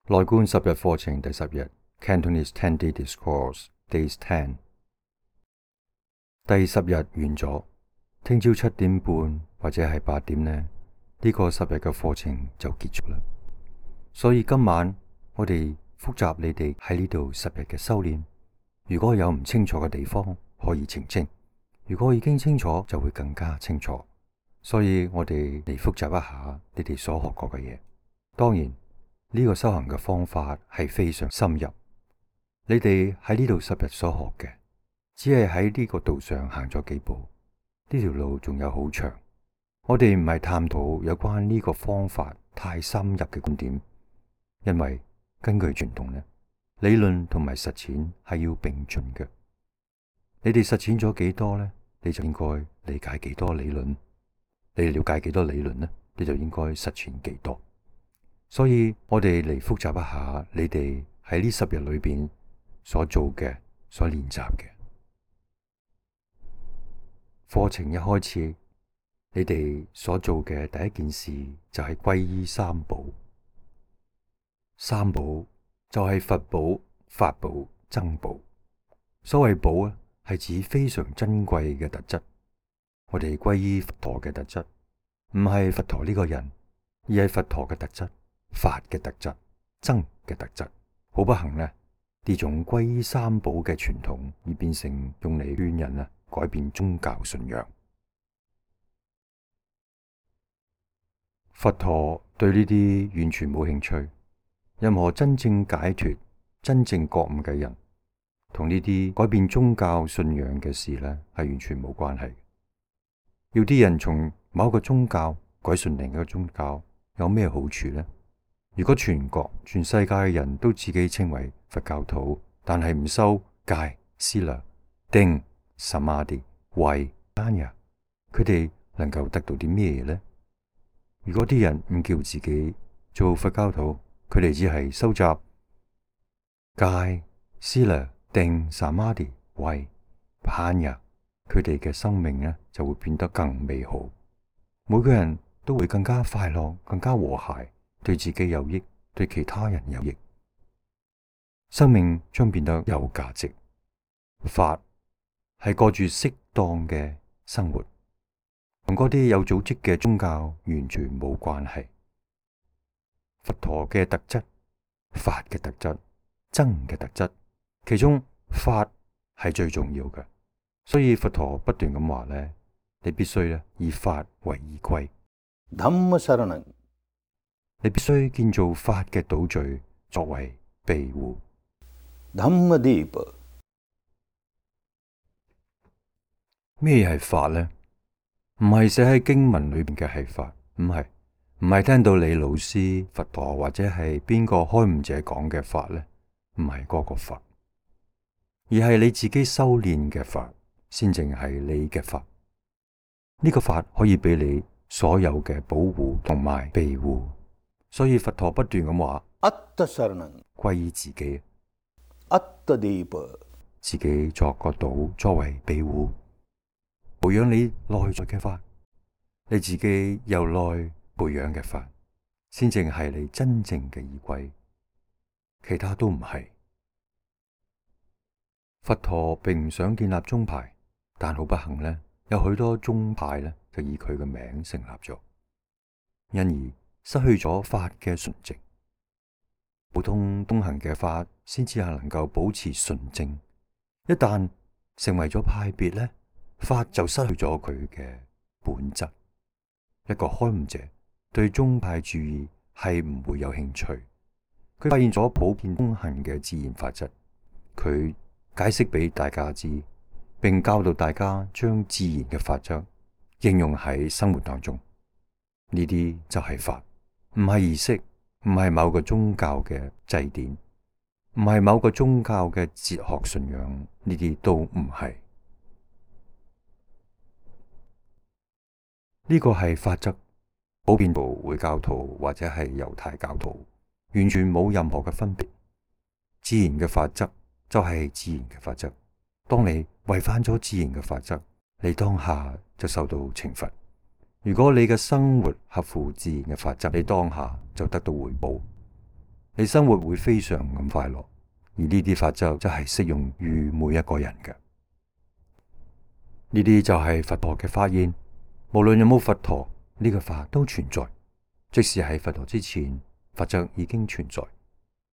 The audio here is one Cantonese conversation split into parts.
內觀10日課程第10日 Cantonese 10-day Discourse Days 10第10日完咗，聽朝7點半或者係8點呢，呢個10日嘅課程就結束啦。所以今晚我哋複習你哋喺呢度10日嘅修煉。如果有唔清楚嘅地方，可以澄清；如果已經清楚，就會更加清楚。所以我哋嚟複習一下你哋所學過嘅嘢。當然呢個修行嘅方法係非常深入。你哋喺呢度10日所學嘅，只係喺呢個道上行咗幾步，呢條路仲有好長。我哋唔係探討有關呢個方法太深入嘅觀點，因為根據傳統呢，理論同埋實踐係要並進嘅。你哋實踐咗幾多呢？你就應該理解幾多理論。你了解幾多理論呢？你就應該實踐幾多。所以我哋嚟複習一下你哋喺呢10日裏邊所做嘅、所練習嘅。課程一開始，你哋所做嘅第一件事就係皈依三寶。三寶就係佛寶、法寶、僧寶。所謂寶啊，係指非常珍貴嘅特質。我哋皈依佛陀嘅特質，唔係佛陀呢個人，而係佛陀嘅特質、法嘅特質、僧嘅特質。好不幸呢，呢種皈依三寶嘅傳統而變成用嚟勸人改變宗教信仰。佛陀對呢啲完全冇興趣。任何真正解脫、真正覺悟嘅人，同呢啲改變宗教信仰嘅事呢，係完全冇關係。要啲人從某個宗教改信另一個宗教，有咩好處呢？如果全國、全世界嘅人都自己稱為佛教徒，但係唔修戒、思量、定、samadhi、慧、般若，佢哋能夠得到啲咩呢？如果啲人唔叫自己做佛教徒，佢哋只係收集戒、思量、定、samadhi、慧、般若，佢哋嘅生命呢就會變得更美好。每個人都會更加快樂、更加和諧，對自己有益，對其他人有益。生命將變得有價值。法係過住適當嘅生活，同嗰啲有組織嘅宗教完全冇關係。佛陀嘅特質、法嘅特質、僧嘅特質，其中法係最重要嘅。所以佛陀不斷咁話呢，你必須以法為依歸。你必須建造法嘅島嶼作為庇護。咩係法呢？唔係寫喺經文裏邊嘅係法，唔係聽到你老師佛陀或者係邊個開悟者講嘅法呢，唔係嗰個法，而係你自己修煉嘅法，先正係你嘅法。呢個法可以俾你所有嘅保護同埋庇護。所以佛陀不斷咁話，皈依自己，自己作個島作為庇護，培養你內在嘅法，你自己由內培養嘅法，先正係你真正嘅依歸，其他都唔係。佛陀並唔想建立宗派，但好不幸呢，有許多宗派呢就以佢嘅名成立咗，因而失去咗法嘅純正。普通東行嘅法先至係能夠保持純正，一旦成為咗派別呢，法就失去咗佢嘅本質。一個開悟者對宗派主義係唔會有興趣。佢發現咗普遍通行嘅自然法則，佢解釋俾大家知，並教導大家將自然嘅法則應用喺生活當中。呢啲就係法，唔係儀式，唔係某個宗教嘅祭典，唔係某個宗教嘅哲學信仰，呢啲都唔係。呢個係法則，普遍部回教徒或者係猶太教徒完全冇任何嘅分別。自然嘅法則就係自然嘅法則。當你違反咗自然嘅法則，你當下就受到懲罰。如果你嘅生活合乎自然嘅法則，你當下就得到回報。你生活會非常咁快樂。而呢啲法則就係適用於每一個人嘅。呢啲就係佛陀嘅發現，無論有冇佛陀，呢個法都存在。即使喺佛陀之前，法則已經存在。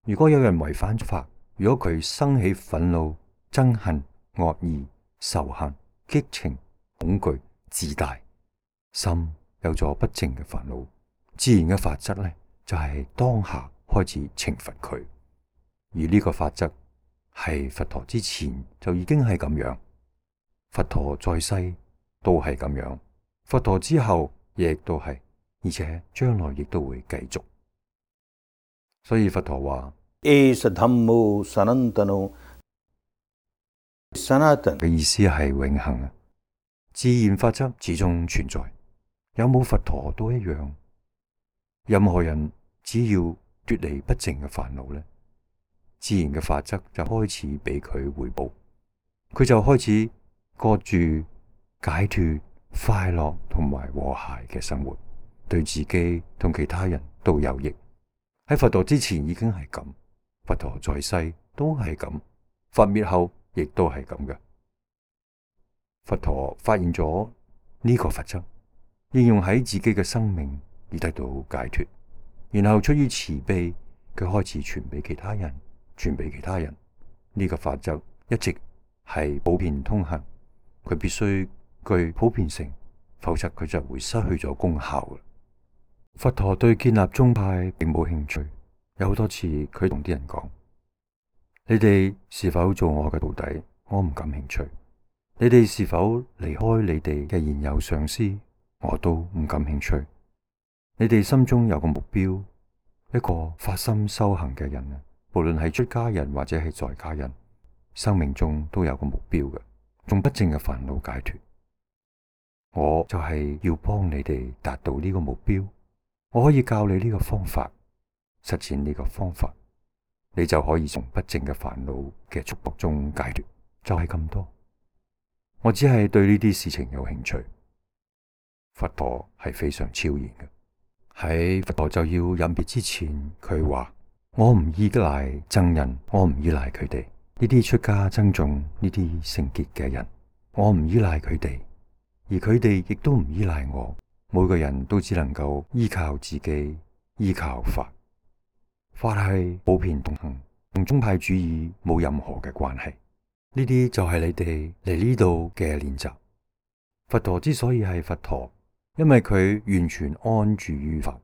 如果有人違反法，如果佢生起憤怒、憎恨、惡意、仇恨、激情、恐懼、自大，心有咗不淨嘅煩惱，自然嘅法則呢，就係當下開始懲罰佢。而呢個法則係佛陀之前就已經係咁樣，佛陀在世都係咁樣，佛陀之後亦都係，而且將來亦都會繼續。所以佛陀話Esa Dhammo Sanatano， Sanatan 嘅意思係永恆啊，自然法則始終存在，有冇佛陀都一樣。任何人只要脫離不淨嘅煩惱呢，自然嘅法則就開始俾佢回報，佢就開始過住解脫、快樂同埋和諧嘅生活，對自己同其他人都有益。喺佛陀之前已經係咁，佛陀在世都係咁，佛滅後亦都係咁嘅。佛陀發現咗呢個法則，應用喺自己嘅生命而得到解脫，然後出於慈悲，佢開始傳俾其他人。傳俾其他人，呢個法則一直係普遍通行，佢必須具普遍性，否則佢就會失去咗功效。佛陀對建立宗派並冇興趣，有好多次佢同啲人講：你哋是否做我嘅徒弟？我唔感興趣。你哋是否離開你哋嘅現有上師？我都唔感興趣。你哋心中有個目標，一個發心修行嘅人啊，無論係出家人或者係在家人，生命中都有個目標嘅，從不淨嘅煩惱解脫。我就係要幫你哋達到呢個目標，我可以教你呢個方法，實踐呢個方法，你就可以從不淨嘅煩惱嘅束縛中解脫。就係咁多，我只係對呢啲事情有興趣。佛陀係非常超然嘅，喺佛陀就要隱別之前，佢話：我唔依賴僧人，我唔依賴佢哋呢啲出家僧眾，呢啲聖潔嘅人，我唔依賴佢哋，而佢哋亦都唔依賴我。每個人都只能夠依靠自己，依靠法。法係普遍通行，同宗派主義冇任何嘅關係。呢啲就係你哋嚟呢度嘅練習。佛陀之所以係佛陀，因為佢完全安住於法。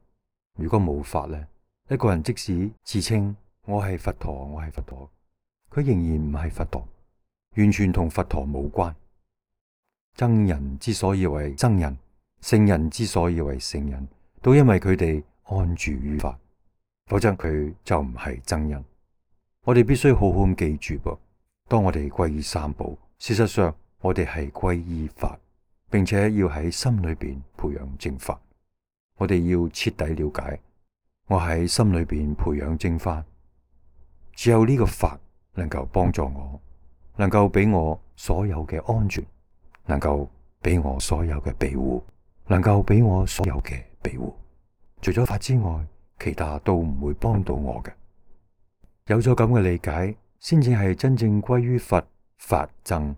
如果冇法呢，一個人即使自稱我係佛陀，我係佛陀，佢仍然唔係佛陀，完全同佛陀無關。僧人之所以為僧人，聖人之所以為聖人，都因為佢哋安住於法，否則佢就唔係僧人。我哋必須好好咁記住噃，當我哋皈依三寶，事實上我哋係皈依法，並且要喺心裏邊培養正法。我哋要徹底了解，我喺心裏邊培養正法，只有呢個法能夠幫助我，能夠俾我所有嘅安全，能夠俾我所有嘅庇護，能夠俾我所有嘅庇護。除咗法之外，其他都唔會幫到我嘅。有咗咁嘅理解，先至係真正歸於佛法僧，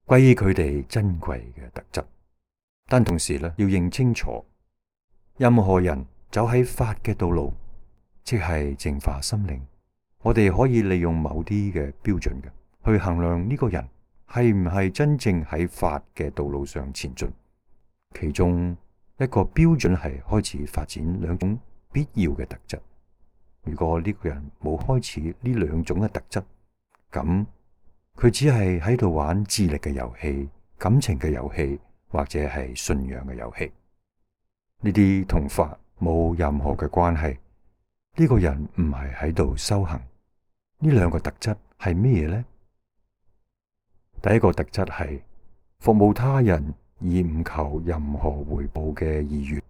歸於佢哋珍貴嘅特質。但同時呢，要認清楚，任何人走喺法嘅道路，即係淨化心靈。我哋可以利用某啲嘅標準嘅，去衡量呢個人係唔係真正喺法嘅道路上前進。其中一個標準係開始發展兩種必要嘅特質。如果呢個人冇開始呢兩種嘅特質，咁佢只係喺度玩智力嘅遊戲、感情嘅遊戲，或者係信仰嘅遊戲。呢啲同法冇任何嘅關係。呢個人唔係喺度修行。呢兩個特質係咩嘢呢？第一個特質係服務他人而唔求任何回報嘅意願，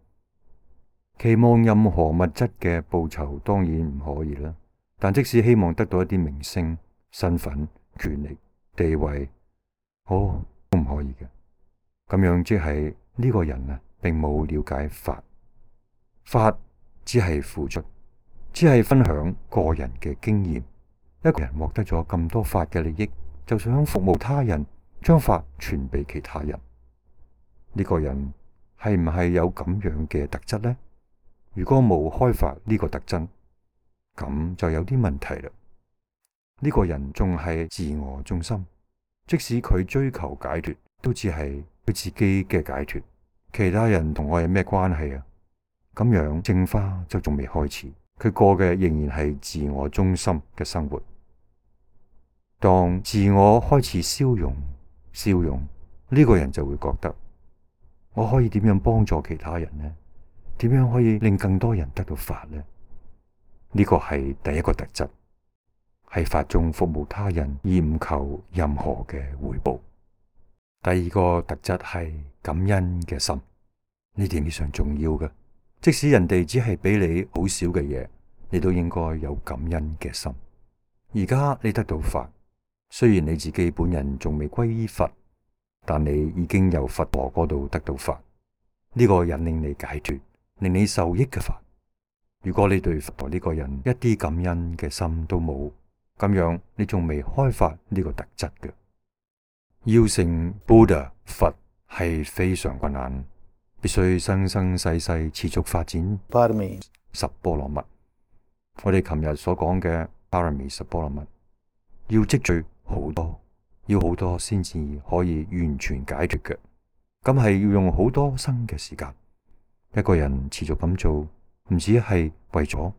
期望任何物質嘅報酬當然唔可以啦。但即使希望得到一啲名聲、身份、權力、地位，都唔可以嘅。咁樣即係呢個人並冇了解法，法只係付出，只係分享個人嘅經驗。一個人獲得咗咁多法嘅利益，就想服務他人，將法傳俾其他人。呢個人係唔係有咁樣嘅特質呢？如果冇開發呢個特質，咁就有啲問題啦。呢個人仲係自我中心，即使佢追求解脫，都只係佢自己嘅解脫，其他人同我有咩關係啊？咁樣淨化就仲未開始，佢過嘅仍然係自我中心嘅生活。當自我開始消融，呢個人就會覺得，我可以點樣幫助其他人呢？點樣可以令更多人得到法呢？呢個係第一個特質，喺法中服務他人而唔求任何嘅回報。第二個特質係感恩嘅心，呢點非常重要嘅。即使人哋只係俾你好少嘅嘢，你都應該有感恩嘅心。而家你得到法，雖然你自己本人仲未歸依佛，但你已經由佛陀嗰度得到法，呢個引領你解脫，令你受益嘅法。如果你對佛陀呢個人一啲感恩嘅心都冇，咁樣你仲未開發呢個特質嘅。要成 Buddha 佛係非常困難，必須生生世世持續發展 Parami 十波羅蜜。我哋琴日所講嘅 Parami 十波羅蜜，要積聚好多，要好多先至可以完全解脫嘅。咁係要用好多生嘅時間。一個人持續咁做，唔止係為咗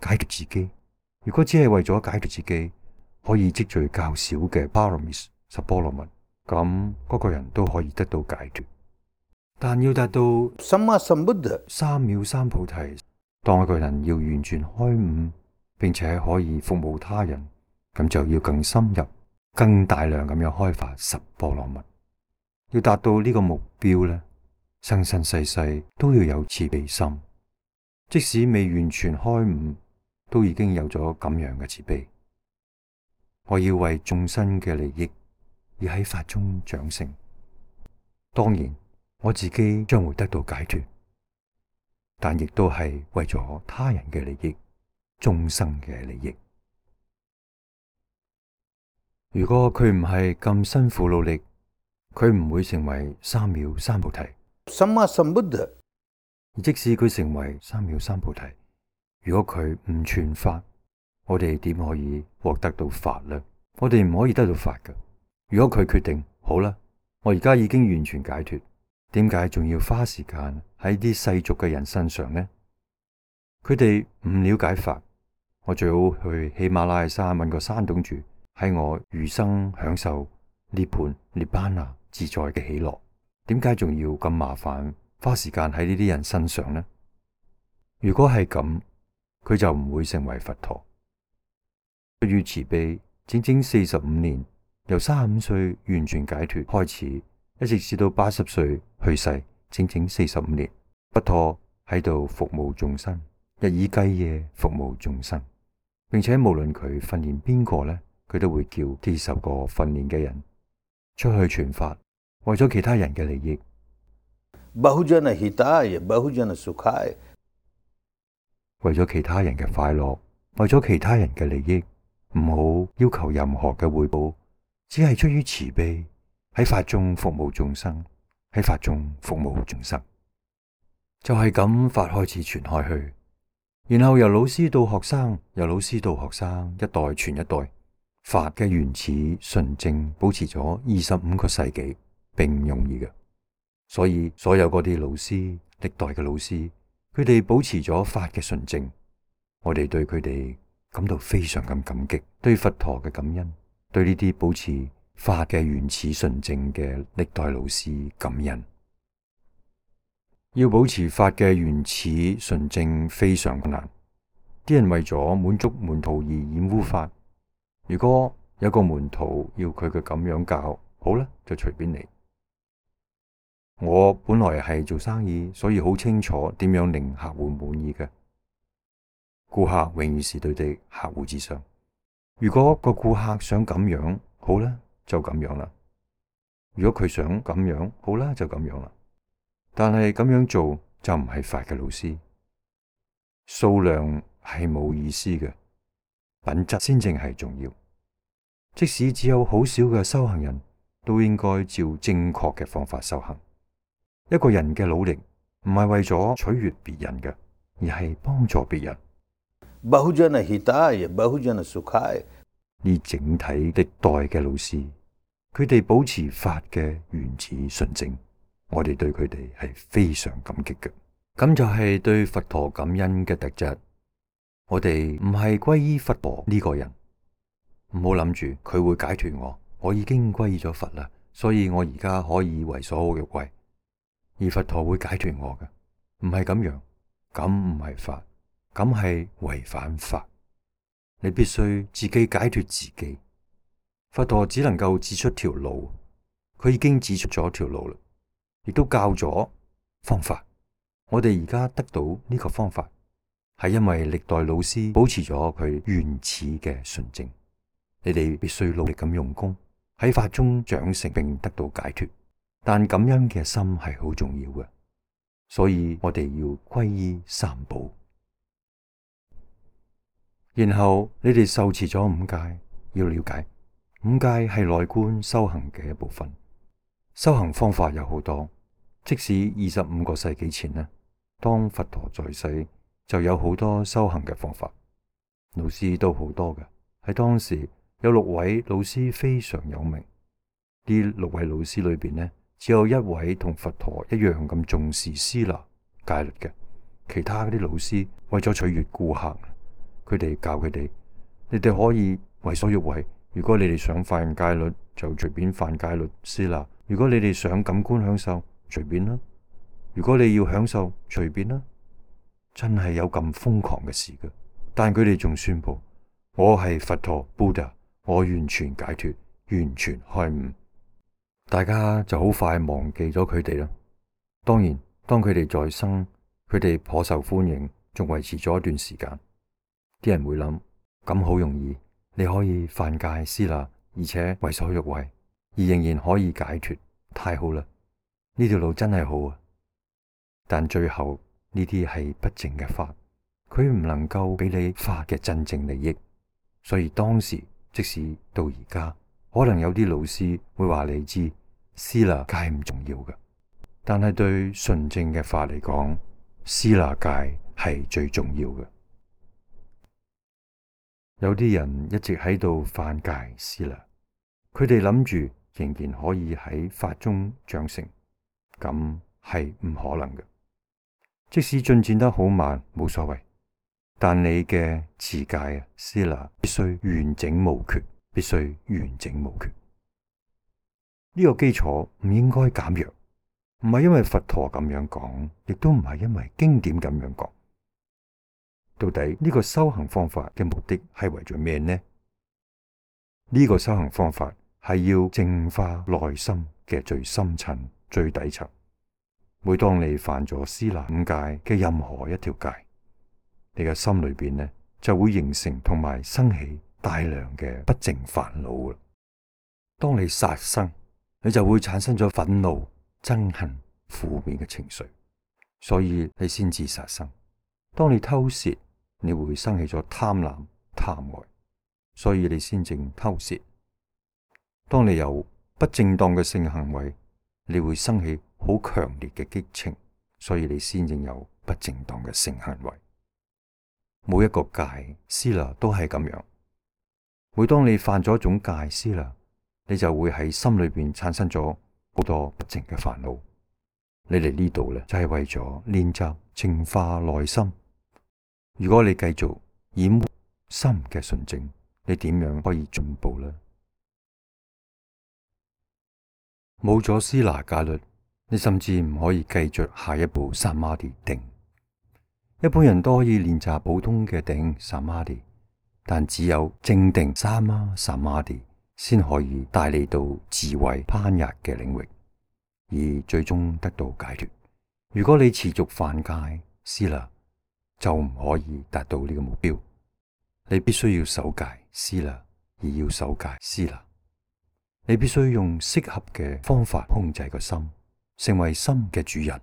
解脫自己。如果只係為咗解脫自己，可以積聚較少嘅 Paramis 十波羅蜜，咁嗰個人都可以得到解脫。但要達到 Samma Sambuddha 三藐三菩提，當一個人要完全開悟，並且可以服務他人，咁就要更深入、更大量咁樣開發十波羅蜜。要達到呢個目標呢，生生世世都要有慈悲心。即使未完全開悟，都已經有咗咁樣嘅慈悲。我要為眾生嘅利益而喺法中長成。當然，我自己將會得到解脫，但亦都係為咗他人嘅利益、眾生嘅利益。如果佢唔係咁辛苦努力，佢唔會成為三藐三菩提。Samma Sambuddha 而即使佢成為三藐三菩提，如果佢唔傳法，我哋點可以獲得到法呢？我哋唔可以得到法㗎。如果佢決定好啦，我而家已經完全解脫，點解仲要花時間喺啲世俗嘅人身上呢？佢哋唔了解法，我最好去喜馬拉雅山搵個山洞住，喺我餘生享受涅槃、涅槃那自在嘅喜樂。點解仲要咁麻煩？花時間喺呢啲人身上呢？如果係咁，佢就唔會成為佛陀。出於慈悲，整整45年，由35歲完全解脫開始，一直至到80歲去世，整整45年，佛陀喺度服務眾生，日以繼夜服務眾生，並且無論佢訓練邊個呢，佢都會叫啲受過訓練嘅人出去傳法，為咗其他人嘅利益。Bahujana Hitaya Bahujana Sukhaya 為咗其他人嘅快樂，為咗其他人嘅利益，唔好要求任何嘅回報，只係出於慈悲，喺法中服務眾生，喺法中服務眾生。就係咁，法開始傳開去，然後由老師到學生，由老師到學生，一代傳一代，法嘅原始純正保持咗25個世紀，並唔容易嘅。所以所有嗰啲老師，歷代嘅老師，佢哋保持咗法嘅純正，我哋對佢哋感到非常咁感激，對佛陀嘅感恩，對呢啲保持法嘅原始純正嘅歷代老師感恩。要保持法嘅原始純正非常困難，啲人為咗滿足門徒而染污法。如果有個門徒要佢嘅咁樣教，好啦，就隨便你。我本來係做生意，所以好清楚點樣令客戶滿意嘅。顧客永遠是對的客戶至上。如果個顧客想咁樣，好啦，就咁樣啦。如果佢想咁樣，好啦，就咁樣啦。但係咁樣做就唔係法嘅老師。數量係冇意思嘅，品質先正係重要。即使只有好少嘅修行人，都應該照正確嘅方法修行。一個人嘅努力唔係為咗取悅別人嘅，而係幫助別人。बहुजन हिताय बहुजन सुखाय。呢整體歷代嘅老師，佢哋保持法嘅原始純正，我哋對佢哋係非常感激嘅。咁就係對佛陀感恩嘅特質。我哋唔係歸依佛陀呢個人，唔好諗住佢會解脫我，我已經歸依咗佛啦，所以我而家可以為所欲為，而佛陀會解脫我嘅，唔係咁樣，咁唔係法，咁係違反法。你必須自己解脫自己。佛陀只能夠指出條路，佢已經指出咗條路啦，亦都教咗方法。我哋而家得到呢個方法，係因為歷代老師保持咗佢原始嘅純正。你哋必須努力咁用功，喺法中長成並得到解脫。但感恩嘅心係好重要嘅，所以我哋要皈依三寶。然後你哋受持咗五戒，要了解五戒係內觀修行嘅一部分。修行方法有好多，即使25個世紀前呢，當佛陀在世，就有好多修行嘅方法，老師都好多嘅。喺當時有6位老師非常有名，呢6位老師裏邊呢，只有1位同佛陀一樣咁重視師那戒律嘅，其他嗰啲老師為咗取悅顧客，佢哋教佢哋，你哋可以為所欲為。如果你哋想犯戒律，就隨便犯戒律師那；如果你哋想感官享受，隨便啦；如果你要享受，隨便啦。真係有咁瘋狂嘅事嘅，但佢哋仲宣布：我係佛陀 Buddha， 我完全解脫，完全開悟。大家就好快忘記咗佢哋啦。當然，當佢哋在生，佢哋頗受歡迎，仲維持咗一段時間。啲人會諗：咁好容易，你可以犯戒師那，而且為所欲為，而仍然可以解脫，太好啦！呢條路真係好啊！但最後呢啲係不淨嘅法，佢唔能夠俾你法嘅真正利益。所以當時即使到而家，可能有啲老師會話你知，師那戒唔重要嘅，但係對純正嘅法嚟講，師那戒係最重要嘅。有啲人一直喺度犯戒師那，佢哋諗住仍然可以喺法中長成，咁係唔可能嘅。即使進展得好慢，冇所謂，但你嘅持戒師那必須完整無缺，必須完整無缺。呢個基礎唔應該減弱，唔係因為佛陀咁樣講，亦都唔係因為經典咁樣講。到底呢個修行方法嘅目的係為咗咩呢？呢個修行方法係要淨化內心嘅最深層、最底層。每當你犯咗師那五戒嘅任何一條戒，你嘅心裏邊呢就會形成同埋生起大量嘅不淨煩惱。當你殺生，你就會產生咗憤怒、憎恨、負面嘅情緒，所以你先至殺生。當你偷竊，你會生起咗貪婪、貪愛，所以你先正偷竊。當你有不正當嘅性行為，你會生起好強烈嘅激情，所以你先正有不正當嘅性行為。每一個戒師那都係咁樣。每當你犯咗一種戒師那，你就會喺心裏邊產生咗好多不淨嘅煩惱。你嚟呢度咧，就係為咗練習淨化內心。如果你繼續掩沒心嘅純正，你點樣可以進步呢？冇咗師那戒律，你甚至唔可以繼續下一步薩瑪迪定。一般人都可以練習普通嘅定薩瑪迪，但只有正定薩瑪迪先可以帶你到智慧攀日嘅領域，而最終得到解脫。如果你持續犯戒師那，就唔可以達到呢個目標。你必須要守戒師那，而要守戒師那。你必須用適合嘅方法控制個心，成為心嘅主人。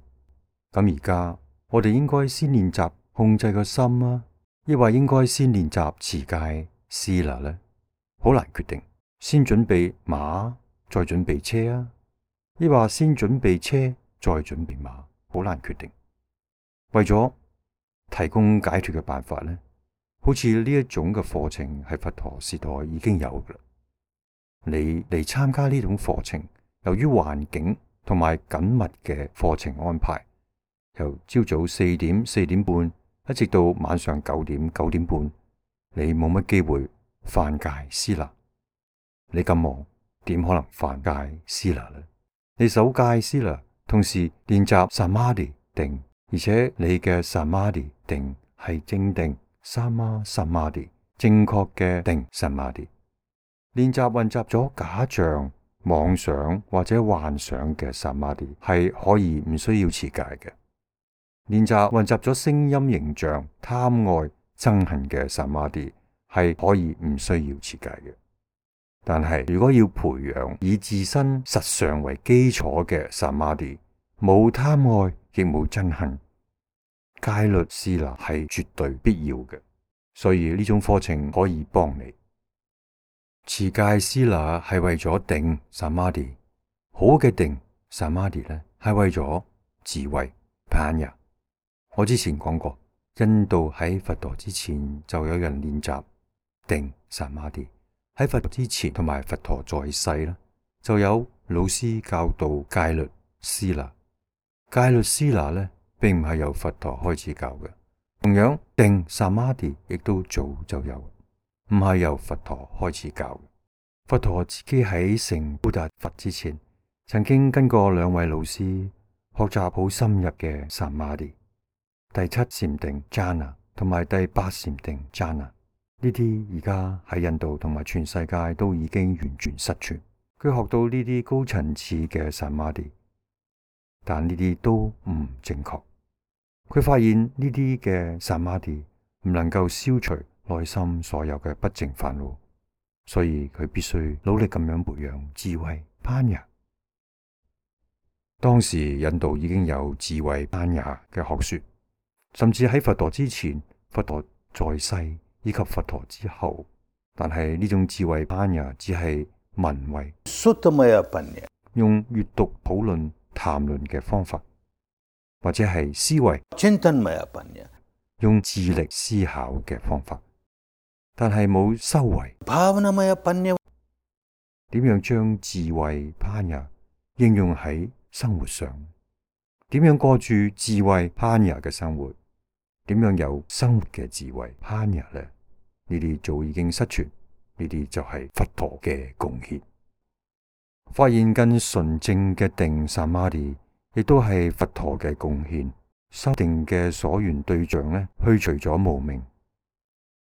咁而家我哋應該先練習控制個心啊。抑或應該先練習持戒思那呢？好難決定。先準備馬，再準備車啊？抑或先準備車，再準備馬？好難決定。為咗提供解脫嘅辦法呢，好似呢一種嘅課程喺佛陀時代已經有㗎啦。你嚟參加呢種課程，由於環境同埋緊密嘅課程安排，由朝早4點、4點半一直到晚上9點、9點半，你冇乜機會犯戒思那。你咁忙，點可能犯戒思那呢？你守戒思那，同時練習samadhi定，而且你嘅samadhi定係正定samadhi，正確嘅定samadhi。練習混雜咗假象、妄想或者幻想嘅samadhi係可以唔需要持戒嘅。練習混雜咗聲音、形象、貪愛、憎恨嘅samadhi係可以唔需要持戒嘅。但係如果要培養以自身實相為基礎嘅samadhi，冇貪愛亦冇憎恨，戒律思那係絕對必要嘅。所以呢種課程可以幫你。持戒思那係為咗定samadhi，好嘅定samadhi呢係為咗智慧panya。我之前講過，印度喺佛陀之前就有人練習定samadhi。喺佛陀之前同埋佛陀在世啦，就有老師教導戒律思那。戒律思那呢，並唔係由佛陀開始教嘅。同樣定samadhi亦都早就有，唔係由佛陀開始教嘅。佛陀自己喺成布達佛之前，曾經跟過2位老師學習好深入嘅samadhi，第7禪定 jhana 同埋第8禪定 jhana。呢啲而家喺印度同埋全世界都已經完全失傳。佢學到呢啲高層次嘅samadhi，但呢啲都唔正確。佢發現呢啲嘅samadhi唔能夠消除內心所有嘅不淨煩惱，所以佢必須努力咁樣培養智慧panya。當時印度已經有智慧panya嘅學說，甚至喺佛陀之前、佛陀在世以及佛陀之後，但係呢種智慧panya只係聞慧，用閱讀、討論、談論嘅方法，或者係思維，用智力思考嘅方法，但係冇修為。點樣將智慧panya應用喺生活上？點樣過住智慧panya嘅生活？點樣有生活嘅智慧panya呢？呢啲早已經失傳，呢啲就係佛陀嘅貢獻。發現更純正嘅定samadhi，亦都係佛陀嘅貢獻。修定嘅所緣對象呢，去除咗無明。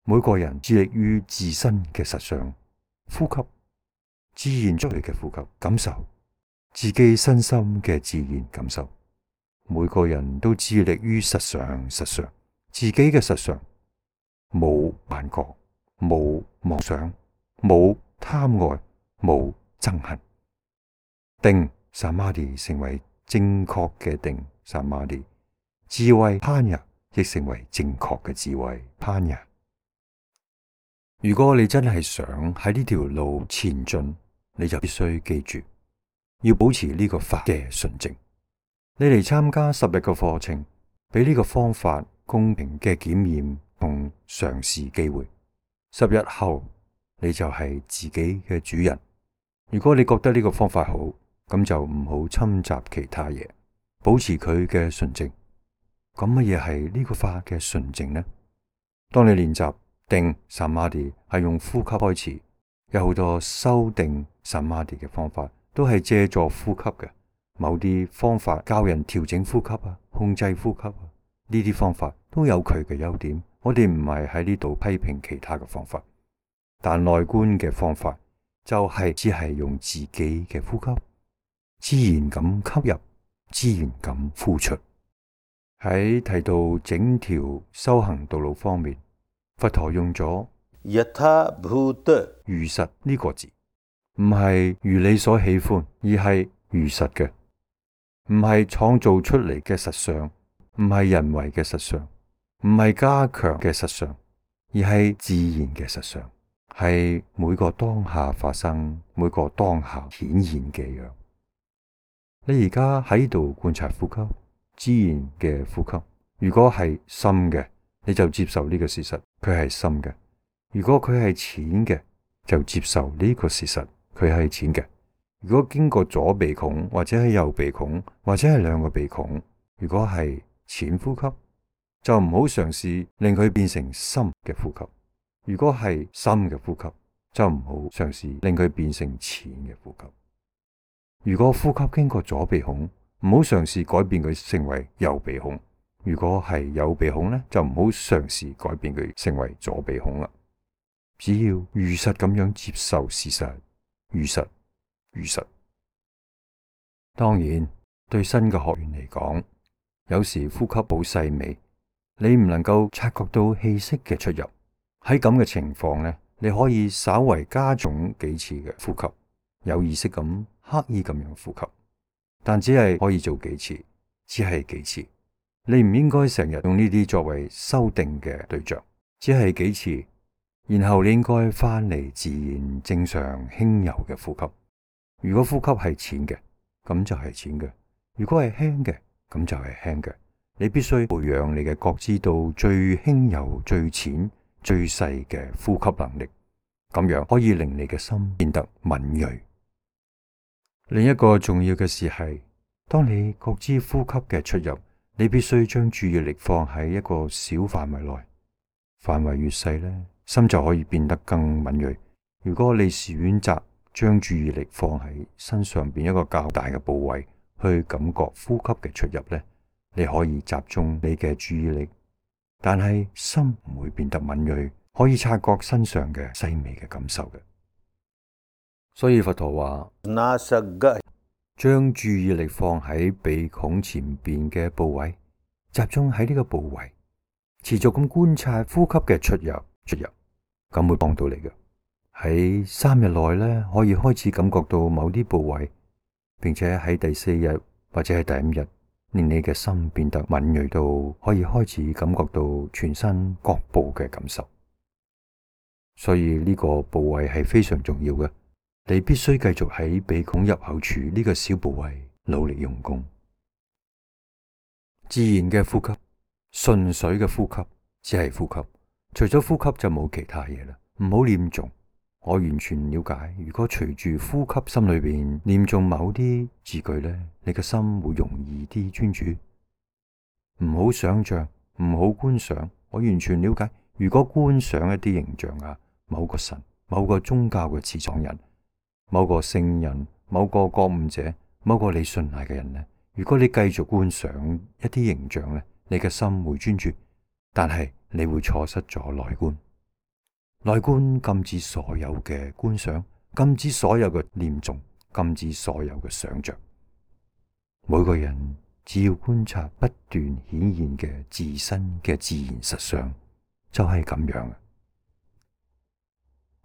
每個人致力於自身嘅實相，呼吸，自然出嚟嘅呼吸，感受自己身心嘅自然感受。每個人都致力於實相，自己嘅實相，冇幻覺，冇妄想，冇貪愛，冇憎恨。定samadhi成為正確嘅定samadhi，智慧panya亦成為正確嘅智慧panya。如果你真係想喺呢條路前進，你就必須記住，要保持呢個法嘅純正。你嚟參加10日嘅課程，俾呢個方法公平嘅檢驗同嘗試機會。10日後，你就係自己嘅主人。如果你覺得呢個方法好，咁就唔好侵襲其他嘢，保持佢嘅純正。咁乜嘢係呢個法嘅純正呢？當你練習定samadhi係用呼吸開始，有好多修定samadhi嘅方法都係借助呼吸嘅。某啲方法教人調整呼吸啊，控制呼吸啊，呢啲方法都有佢嘅優點。我哋唔係喺呢度批評其他嘅方法，但內觀嘅方法就係只係用自己嘅呼吸，自然咁吸入，自然咁呼出。喺提到整條修行道路方面，佛陀用咗如實呢個字，唔係如你所喜歡，而係如實嘅，唔係創造出嚟嘅實相，唔係人為嘅實相，唔係加強嘅實相，而係自然嘅實相，係每個當下發生、每個當下顯現嘅樣。你而家喺度觀察呼吸，自然嘅呼吸。如果係深嘅，你就接受呢個事實，佢係深嘅；如果佢係淺嘅，就接受呢個事實，佢係淺嘅。如果經過左鼻孔，或者係右鼻孔，或者係兩個鼻孔，如果係淺呼吸，就唔好嘗試令佢變成深嘅呼吸；如果係深嘅呼吸，就唔好嘗試令佢變成淺嘅呼吸。如果呼吸經過左鼻孔，唔好嘗試改變佢成為右鼻孔；如果係右鼻孔呢，就唔好嘗試改變佢成為左鼻孔啦。只要如實咁樣接受事實，如實。當然，對新嘅學員嚟講，有時呼吸好細微，你唔能夠察覺到氣息嘅出入。喺咁嘅情況呢，你可以稍為加重幾次嘅呼吸，有意識咁刻意咁樣呼吸，但只係可以做幾次，只係幾次。你唔應該成日用呢啲作為修訂嘅對象，只係幾次，然後你應該翻嚟自然正常輕柔嘅呼吸。如果呼吸係淺嘅，咁就係淺嘅；如果係輕嘅，咁就係輕嘅。你必須培養你嘅覺知到最輕柔、最淺、最細嘅呼吸能力，咁樣可以令你嘅心變得敏銳。另一個重要嘅事係，當你覺知呼吸嘅出入，你必須將注意力放喺一個小範圍內，範圍越細呢，心就可以變得更敏銳。如果你選擇將注意力放喺身上邊一個較大嘅部位，去感覺呼吸嘅出入呢，你可以集中你嘅注意力，但係心唔會變得敏銳，可以察覺身上嘅細微嘅感受嘅。所以佛陀話，將注意力放喺鼻孔前邊嘅部位，集中喺呢個部位，持續咁觀察呼吸嘅出入，咁會幫到你嘅。喺3日內呢，可以開始感覺到某啲部位，並且喺第4日或者係第5日，令你嘅心變得敏銳到可以開始感覺到全身各部嘅感受。所以呢個部位係非常重要嘅，你必須繼續喺鼻孔入口處呢個小部位努力用功。自然嘅呼吸，純粹嘅呼吸，只係呼吸，除咗呼吸就冇其他嘢啦。唔好念誦。我完全了解，如果隨住呼吸心裏邊念誦某啲字句呢，你嘅心會容易啲專注。唔好想象，唔好觀想。我完全了解，如果觀想一啲形象啊，某個神、某個宗教嘅始創人、某個聖人、某個覺悟者、某個你信賴嘅人呢，如果你繼續觀想一啲形象呢，你嘅心會專注，但係你會錯失咗內觀。內觀禁止所有嘅觀想，禁止所有嘅念誦，禁止所有嘅想象。每個人只要觀察不斷顯現嘅自身嘅自然實相，就係咁樣。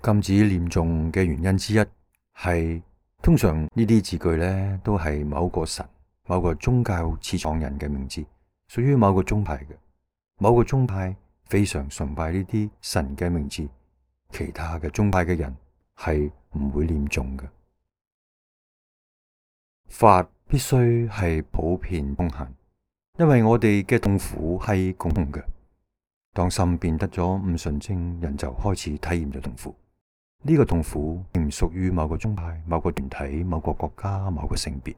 禁止念誦嘅原因之一係，通常呢啲字句呢都係某個神、某個宗教始創人嘅名字，屬於某個宗派嘅。某個宗派非常崇拜呢啲神嘅名字。其他嘅宗派嘅人係唔會念誦嘅。法必須係普遍通行，因為我哋嘅痛苦係共同嘅。當心變得咗唔純正，人就開始體驗咗痛苦。呢個痛苦並唔屬於某個宗派、某個團體、某個國家、某個性別。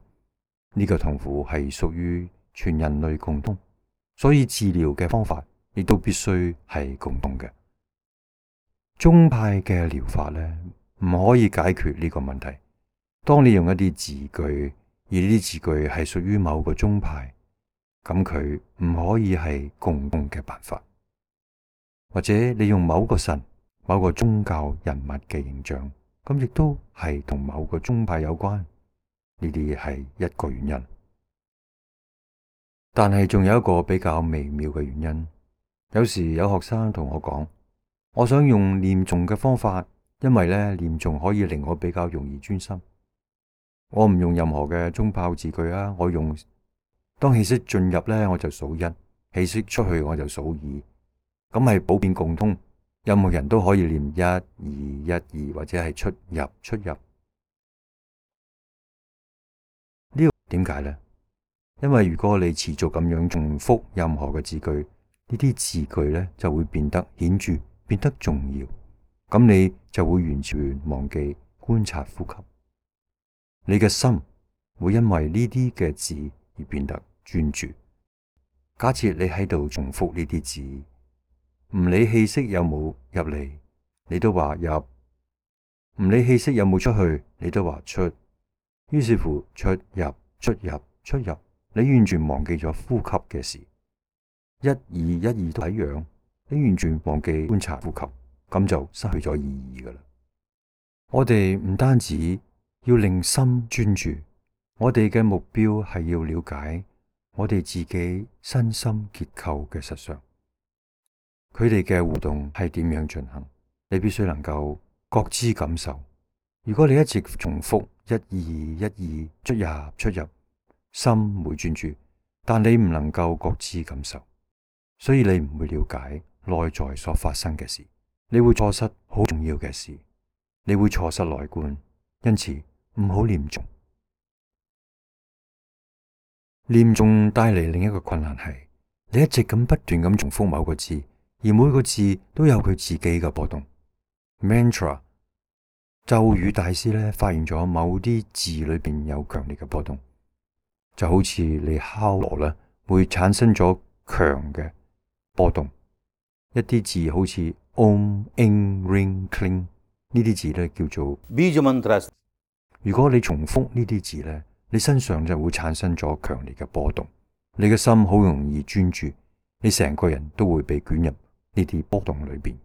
呢個痛苦係屬於全人類共通，所以治療嘅方法亦都必須係共同嘅。宗派嘅療法呢，唔可以解決呢個問題。當你用一啲字句，而呢啲字句係屬於某個宗派，咁佢唔可以係共同嘅辦法。或者你用某個神、某個宗教人物嘅形象，咁亦都係同某個宗派有關。呢啲係一個原因，但係仲有一個比較微妙嘅原因。有時有學生同我講，我想用念誦嘅方法，因為呢念誦可以令我比較容易專心。我唔用任何嘅宗派字句啊，我用當氣息進入呢，我就數1，氣息出去我就數2，咁係普遍共通，任何人都可以念一二一二，或者係出入出入。呢個點解呢？因為如果你持續咁樣重複任何嘅字句，呢啲字句呢就會變得顯著，變得重要。咁你就會完全忘記觀察呼吸。你嘅心會因為呢啲嘅字而變得專注。假設你喺度重複呢啲字，唔理氣息有冇入嚟，你都話入；唔理氣息有冇出去，你都話出。於是乎，出入出入出入，你完全忘記咗呼吸嘅事。一二一二都一樣，你完全忘記觀察呼吸，咁就失去咗意義㗎喇。我哋唔單止要令心專注，我哋嘅目標係要了解我哋自己身心結構嘅實相，佢哋嘅互動係點樣進行，你必須能夠覺知感受。如果你一直重複一二一二出入出入，心會專注，但你唔能夠覺知感受，所以你唔會了解內在所發生嘅事，你會錯失好重要嘅事，你會錯失內觀。因此唔好念誦。念誦帶嚟另一個困難係，你一直咁不斷咁重複某個字，而每個字都有佢自己嘅波動。Mantra 咒語大師咧發現咗某啲字裏邊有強烈嘅波動，就好似你敲鑼咧會產生咗強嘅波動。一啲字好似 Om、Ing、Ring、Cling 呢啲字咧叫做 Bija Mantras。如果你重複呢啲字咧，你身上就會產生咗強烈嘅波動，你嘅心好容易專注，你成個人都會被捲入呢啲波動裏邊。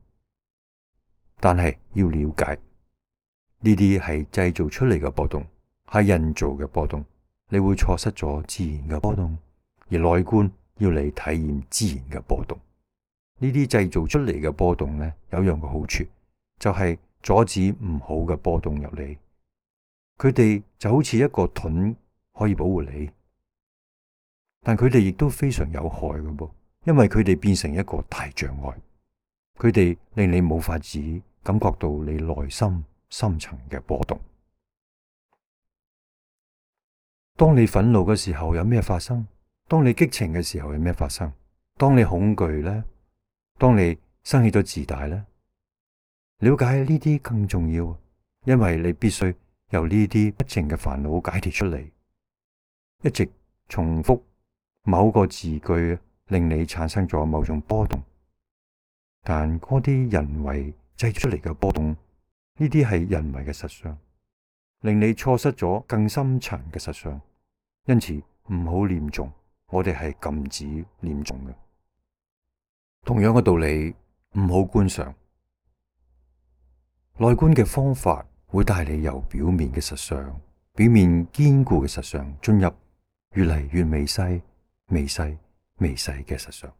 但係要了解呢啲係製造出嚟嘅波動，係人造嘅波動，你會錯失咗自然嘅波動。而內觀要你體驗自然嘅波動。呢啲製造出嚟嘅波動呢，有樣嘅好處，就係阻止唔好嘅波動入嚟。佢哋就好似一個盾，可以保護你，但佢哋亦都非常有害嘅噃，因為佢哋變成一個大障礙，佢哋令你冇法子感覺到你內心深層嘅波動。當你憤怒嘅時候有咩發生？當你激情嘅時候有咩發生？當你恐懼呢？當你生起咗自大呢？了解呢啲更重要，因為你必須由呢啲不淨嘅煩惱解脫出嚟。一直重複某個字句，令你產生咗某種波動，但嗰啲人為製造出嚟嘅波動，呢啲係人為嘅實相，令你錯失咗更深層嘅實相。因此唔好念誦，我哋係禁止念誦嘅。同樣嘅道理，唔好觀想。內觀嘅方法會帶你由表面嘅實相、表面堅固嘅實相進入越嚟越微細、微細、微細嘅實相。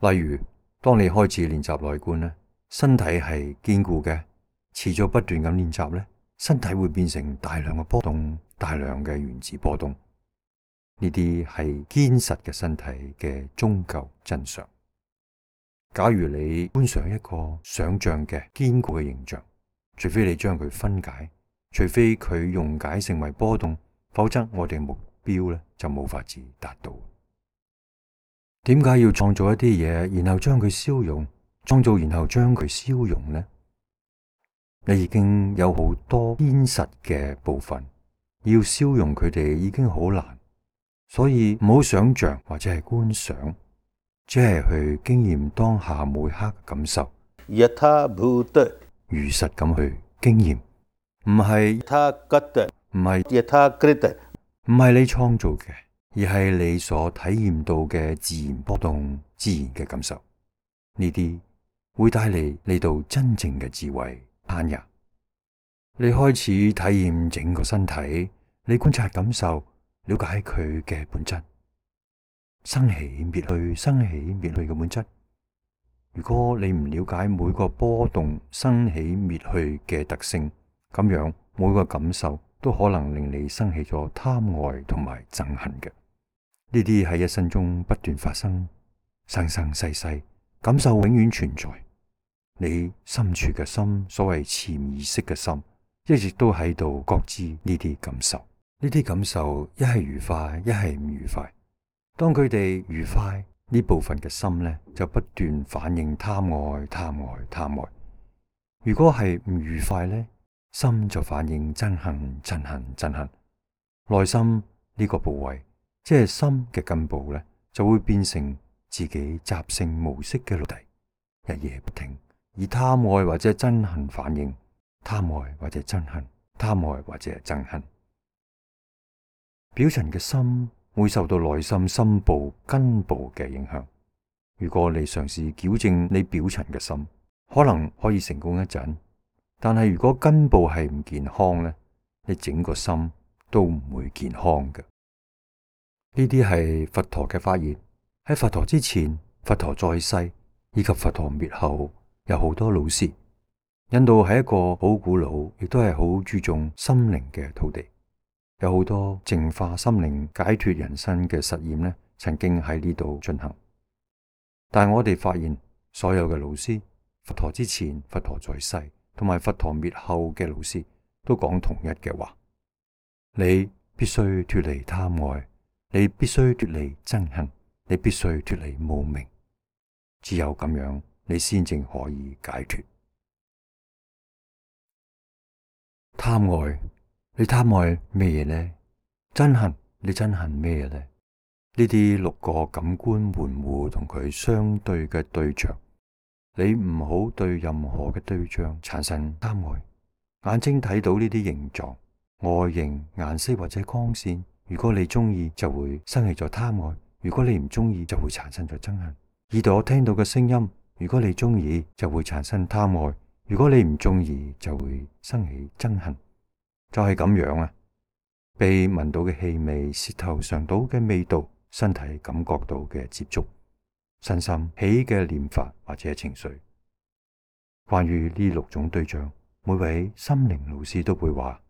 例如，當你開始練習內觀呢，身體係堅固嘅，持續不斷咁練習呢，身體會變成大量嘅波動，大量嘅原子波動。呢啲係堅實嘅身體嘅終究真相。假如你觀想一個想象嘅堅固嘅形象，除非你將佢分解，除非佢溶解成為波動，否則我哋目標呢就冇法子達到。點解要創造一啲嘢，然後將佢消融？創造然後將佢消融呢？你已經有好多堅實嘅部分，要消融佢哋已經好難，所以唔好想象或者係觀想，只係去經驗當下每刻嘅感受，如實咁去經驗，唔係你創造嘅，而係你所體驗到嘅自然波動、自然嘅感受。呢啲會帶嚟你到真正嘅智慧攀岩。你開始體驗整個身體，你觀察感受，了解佢嘅本質，生起滅去、生起滅去嘅本質。如果你唔了解每個波動生起滅去嘅特性，咁樣每個感受都可能令你生起咗貪愛同埋憎恨嘅。呢啲喺一生中不斷發生，生生世世感受永遠存在。你深處嘅心，所謂潛意識嘅心，一直都喺度覺知呢啲感受。呢啲感受一係愉快，一係唔愉快。當佢哋愉快，呢部分嘅心呢，就不斷反應貪愛、貪愛、貪愛。如果係唔愉快呢，心就反應憎恨、憎恨、憎恨。內心呢個部位，即係心嘅根部呢，就會變成自己習性模式嘅奴隸，日夜不停以貪愛或者憎恨反應，貪愛或者憎恨，貪愛或者憎恨。表層嘅心會受到內心深部根部嘅影響。如果你嘗試矯正你表層嘅心，可能可以成功一陣，但係如果根部係唔健康呢，你整個心都唔會健康嘅。呢啲係佛陀嘅發現。喺佛陀之前、佛陀在世以及佛陀滅後，有好多老師。印度係一個好古老，亦都係好注重心靈嘅土地。有好多淨化心靈、解脫人生嘅實驗呢，曾經喺呢度進行。但係我哋發現，所有嘅老師，佛陀之前、佛陀在世同埋佛陀滅後嘅老師，都講同一嘅話：你必須脫離貪愛，你必須脫離憎恨，你必須脫離無明。只有咁樣，你先正可以解脫。貪愛，你貪愛咩嘢呢？憎恨，你憎恨咩嘢呢？呢啲六個感官門戶同佢相對嘅對象，你唔好對任何嘅對象產生貪愛。眼睛睇到呢啲形狀、外形、顏色或者光線，如果你中意，就會生起咗貪愛；如果你唔中意，就會產生咗憎恨。耳朵聽到嘅聲音，如果你中意，就會產生貪愛；如果你唔中意，就會生起憎恨。就係咁樣啊！被聞到嘅氣味、舌頭嘗到嘅味道、身體感覺到嘅接觸、身心起嘅念法或者情緒。關於呢六種對象，每位心靈老師都會話：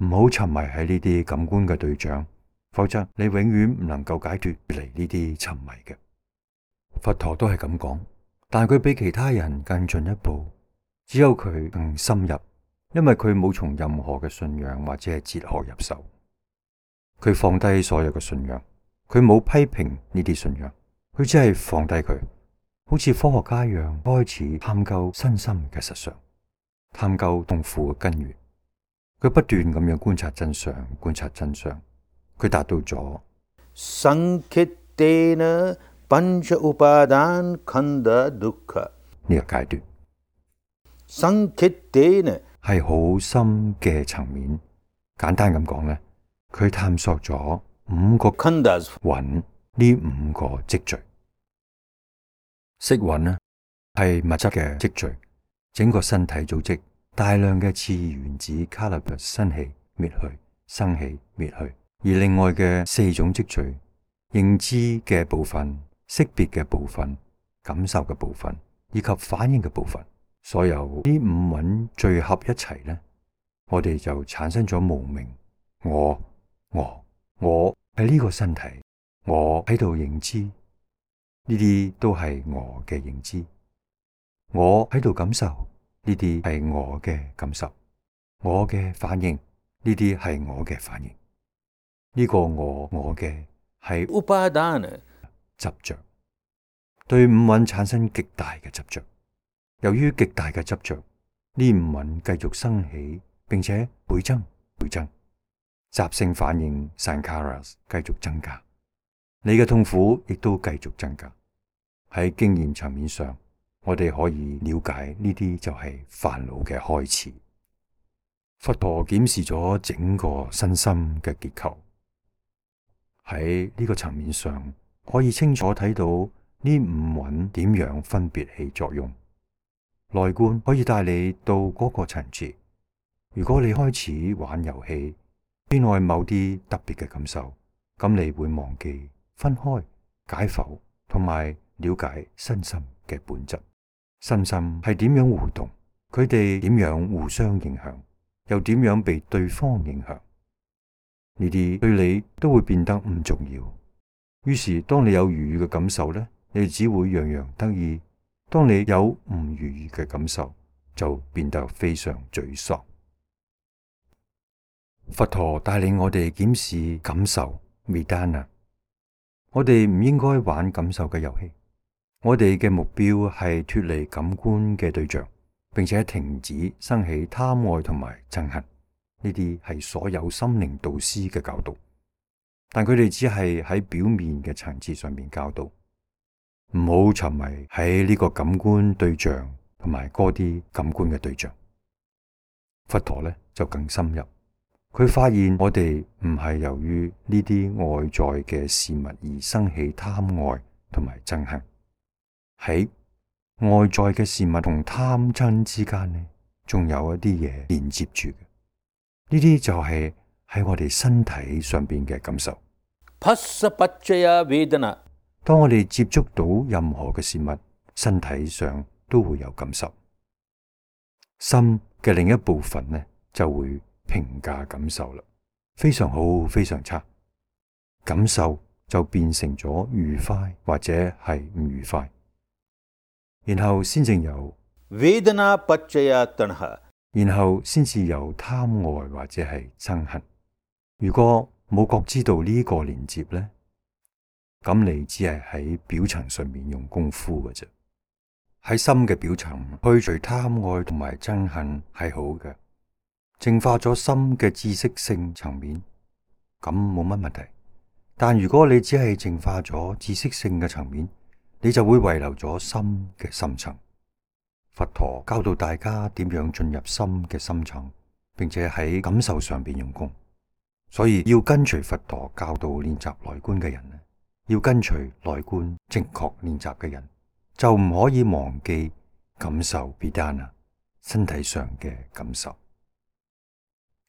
唔好沉迷喺呢啲感官嘅對象，否則你永遠唔能夠解脫離呢啲沉迷嘅。佛陀都係咁講，但佢比其他人更進一步，只有佢更深入，因為佢冇從任何嘅信仰或者係哲學入手。佢放低所有嘅信仰，佢冇批評呢啲信仰，佢只係放低佢，好似科學家一樣開始探究身心嘅實相，探究痛苦嘅根源。佢不斷咁樣觀察真相，觀察真相，佢達到咗Sankhittena pancha upadan khanda dukkha 呢個階段。Sankhittena係好深嘅層面。簡單咁講呢，佢探索咗五個 khandas 蘊，呢五個積聚。色蘊呢係物質嘅積聚，整個身體組織大量嘅次原子卡勒布生起滅去，生起滅去。而另外嘅四種積聚，認知嘅部分、識別嘅部分、感受嘅部分以及反應嘅部分，所有呢五蘊聚合一齊呢，我哋就產生咗無明。我係呢個身體，我喺度認知，呢啲都係我嘅認知。我喺度感受，呢啲係我嘅感受。我嘅反應，呢啲係我嘅反應。呢個我嘅係 upadana 執着，對五蘊產生極大嘅執着。由於極大嘅執着，呢五蘊繼續生起，並且倍增，習性反應 sankharas 繼續增加，你嘅痛苦亦都繼續增加。喺經驗層面上，我哋可以了解呢啲就係煩惱嘅開始。佛陀檢視咗整個身心嘅結構，喺呢個層面上可以清楚睇到呢五蘊點樣分別起作用。內觀可以帶你到嗰個層次。如果你開始玩遊戲，偏愛某啲特別嘅感受，咁你會忘記分開、解剖同埋了解身心嘅本質。身心係點樣互動？佢哋點樣互相影響？又點樣被對方影響？呢啲對你都會變得唔重要。於是當你有愉悅嘅感受呢，你只會洋洋得意，當你有唔如意嘅感受，就變得非常沮喪。佛陀帶領我哋檢視感受 Vedana， 我哋唔應該玩感受嘅遊戲。我哋嘅目標係脫離感官嘅對象，並且停止生起貪愛同埋憎恨。呢啲係所有心靈導師嘅教導，但佢哋只係喺表面嘅層次上面教導。唔好沉迷喺呢個感官對象同埋嗰啲感官嘅對象。佛陀呢就更深入，佢發現我哋唔係由於呢啲外在嘅事物而生起貪愛同埋憎恨。喺外在嘅事物同貪嗔之間呢，仲有一啲嘢連接住嘅。呢啲就係喺我哋身體上邊嘅感受。Phassa paccaya vedana。當我哋接觸到任何嘅事物，身體上都會有感受。心嘅另一部分呢，就會評價感受啦，非常好，非常差。感受就變成咗愉快或者係唔愉快，然後先至有 Vedana paccaya tanha。然後先至有貪愛或者係憎恨。如果冇覺知道呢個連接呢，咁你只係喺表層上面用功夫嘅啫。喺心嘅表層去除貪愛同埋憎恨係好嘅，淨化咗心嘅知識性層面，咁冇乜問題。但如果你只係淨化咗知識性嘅層面，你就會遺留咗心嘅深層。佛陀教導大家點樣進入心嘅深層，並且喺感受上邊用功。所以要跟隨佛陀教導練習內觀嘅人，要跟隨內觀正確練習嘅人，就唔可以忘記感受 Vedana 身體上嘅感受。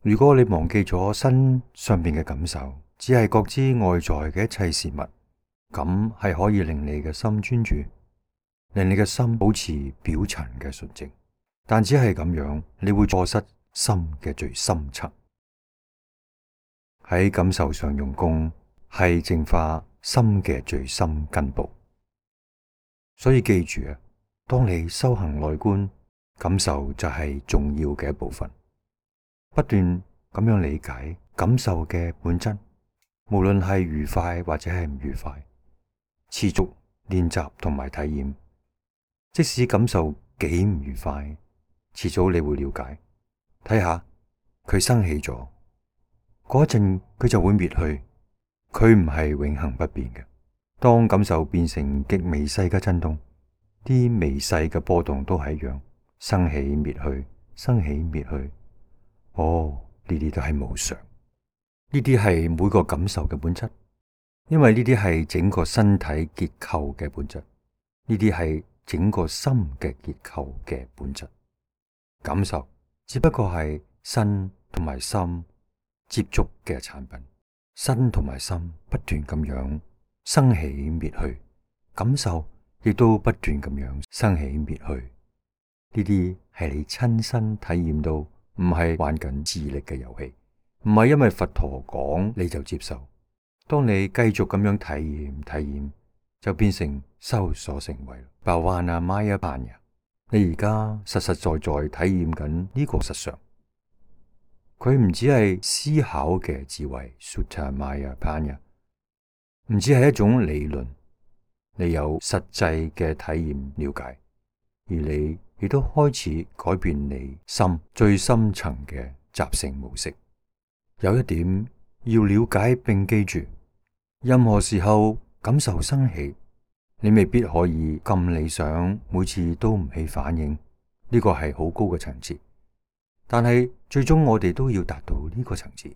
如果你忘記咗身上邊嘅感受，只係覺知外在嘅一切事物，咁係可以令你嘅心專注，令你嘅心保持表層嘅純淨，但只係咁樣，你會錯失心嘅最深層。喺感受上用功，係淨化心嘅最深根部。所以記住啊，當你修行內觀，感受就係重要嘅一部分。不斷咁樣理解感受嘅本質，無論係愉快或者係唔愉快，持續練習同埋體驗。即使感受幾唔愉快，遲早你會了解，睇下佢生起咗，嗰陣佢就會滅去，佢唔係永恆不變嘅。當感受變成極微細嘅震動，啲微細嘅波動都係一樣，生起滅去，生起滅去。哦，呢啲都係無常，呢啲係每個感受嘅本質，因為呢啲係整個身體結構嘅本質，呢啲係整個心嘅結構嘅本質。感受只不過係身同埋心接觸嘅產品，身同埋心不斷咁樣生起滅去，感受亦都不斷咁樣生起滅去。呢啲係你親身體驗到，唔係玩緊智力嘅遊戲，唔係因為佛陀講你就接受。當你繼續咁樣體驗，就變成修所成為 Bhavana Maya Panya。你而家實實在在體驗緊呢個實相，佢唔只係思考嘅智慧 Sutta Maya Panya， 唔只係一種理論，你有實際嘅體驗了解，而你亦都開始改變你心最深層嘅習性模式。有一點要了解並記住，任何時候感受生起，你未必可以咁理想，每次都唔起反應，呢個係好高嘅層次。但係最終我哋都要達到呢個層次，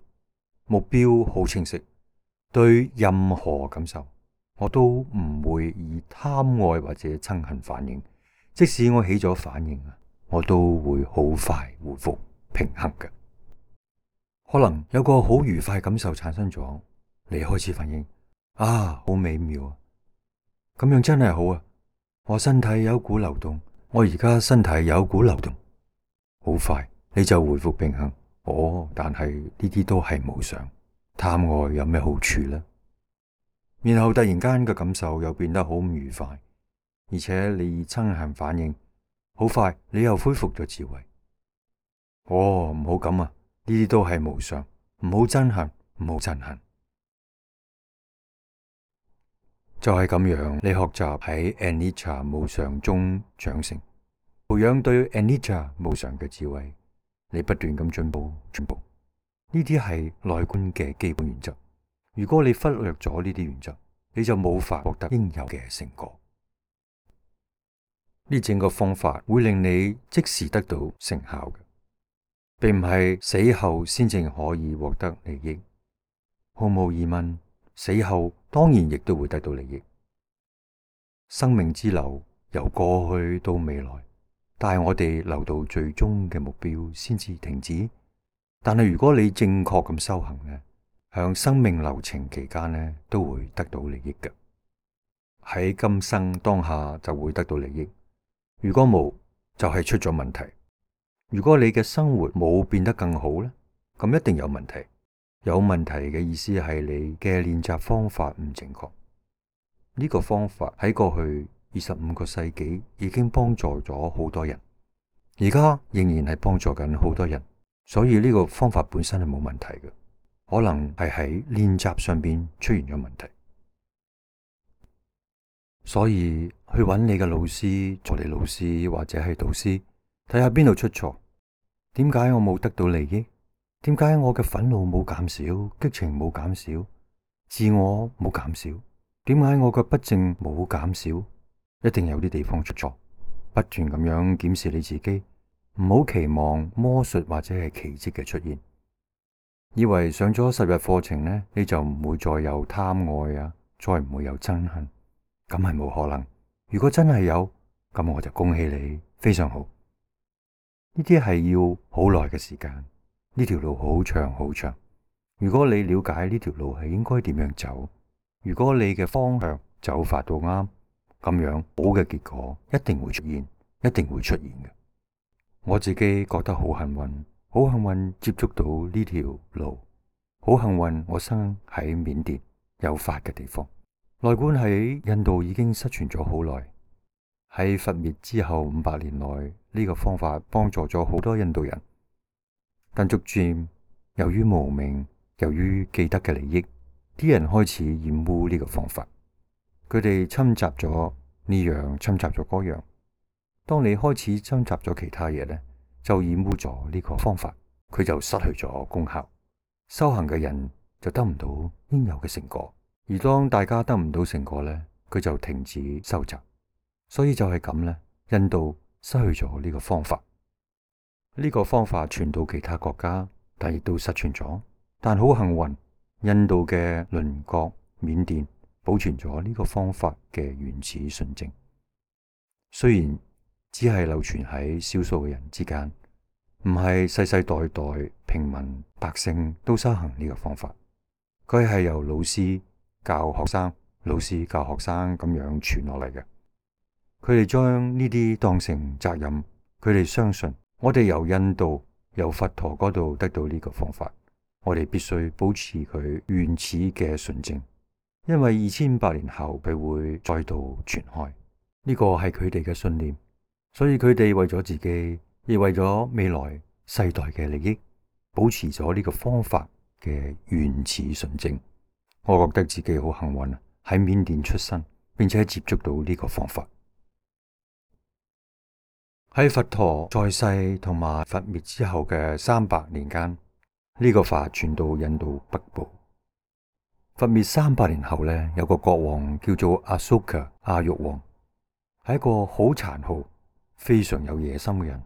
目標好清晰。對任何感受，我都唔會以貪愛或者憎恨反應。即使我起咗反應啊，我都會好快回復平衡嘅。可能有個好愉快感受產生咗，你開始反應啊，好美妙啊！咁樣真係好啊！我身體有股流動，我而家身體有股流動，好快你就回復平衡。哦，但係呢啲都係無常，貪愛有咩好處呢？然後突然間嘅感受又變得好唔愉快，而且你憎恨反應，好快你又恢復咗智慧。唔好咁啊！呢啲都係無常，唔好憎恨，唔好憎恨。就係咁樣，你學習喺 Anicca 無常中長成，培養對 Anicca 無常嘅智慧，你不斷咁進步。呢啲係內觀嘅基本原則。如果你忽略咗呢啲原則，你就冇法獲得應有嘅成果。呢整個方法會令你即時得到成效嘅，並唔係死後先至可以獲得利益。毫無疑問，死後當然亦都會得到利益。生命之流由過去到未來，但係我哋留到最終嘅目標先至停止。但係如果你正確咁修行呢，向生命流程期間呢，都會得到利益嘅。喺今生當下就會得到利益。如果冇，就係出咗問題。如果你嘅生活冇變得更好呢，咁一定有問題。有問題嘅意思係你嘅練習方法唔正確。呢個方法喺過去25個世紀已經幫助咗好多人，而家仍然係幫助緊好多人。所以呢個方法本身係冇問題嘅，可能係喺練習上邊出現咗問題。所以去揾你嘅老師、助理老師或者係導師，睇下邊度出錯。點解我冇得到利益？點解我嘅憤怒冇減少，激情冇減少，自我冇減少？點解我嘅不正冇減少？一定有啲地方出錯。不斷咁樣檢視你自己。唔好期望魔術或者係奇蹟嘅出現，以為上咗10日課程呢，你就唔會再有貪愛啊，再唔會有憎恨，咁係冇可能。如果真係有，咁我就恭喜你，非常好。呢啲係要好耐嘅時間，呢條路好長好長。如果你了解呢條路係應該點樣走，如果你嘅方向走法到啱，咁樣好嘅結果一定會出現，一定會出現嘅。我自己覺得好幸運，好幸運接觸到呢條路，好幸運我生喺緬甸有法嘅地方。內觀喺印度已經失傳咗好耐，喺佛滅之後500年內，呢個方法幫助咗好多印度人，但逐漸由於無明，由於既得嘅利益，啲人開始厭惡呢個方法，佢哋侵襲咗呢樣，侵襲咗嗰樣。當你開始侵襲咗其他嘢呢，就染污咗呢個方法，佢就失去咗功效，修行嘅人就得唔到應有嘅成果。而當大家得唔到成果呢，佢就停止收集。所以就係咁呢，印度失去咗呢個方法。呢個方法傳到其他國家，但亦都失傳咗。但好幸運，印度嘅鄰國緬甸保存咗呢個方法嘅原始純正，雖然只係流傳喺少數嘅人之間，唔係世世代代平民百姓都修行呢個方法。佢係由老師教學生，老師教學生咁樣傳落嚟嘅。佢哋將呢啲當成責任，佢哋相信我哋由印度由佛陀嗰度得到呢個方法，我哋必須保持佢原始嘅純正，因為2500年後佢會再度傳開。呢個係佢哋嘅信念。所以佢哋為咗自己，亦為咗未來世代嘅利益，保持咗呢個方法嘅原始純正。我覺得自己好幸運啊，喺緬甸出生，並且接觸到呢個方法。喺佛陀在世同埋佛滅之後嘅300年間，呢個法傳到印度北部。佛滅300年後呢，有個國王叫做阿蘇卡阿育王，係一個好殘酷、非常有野心嘅人。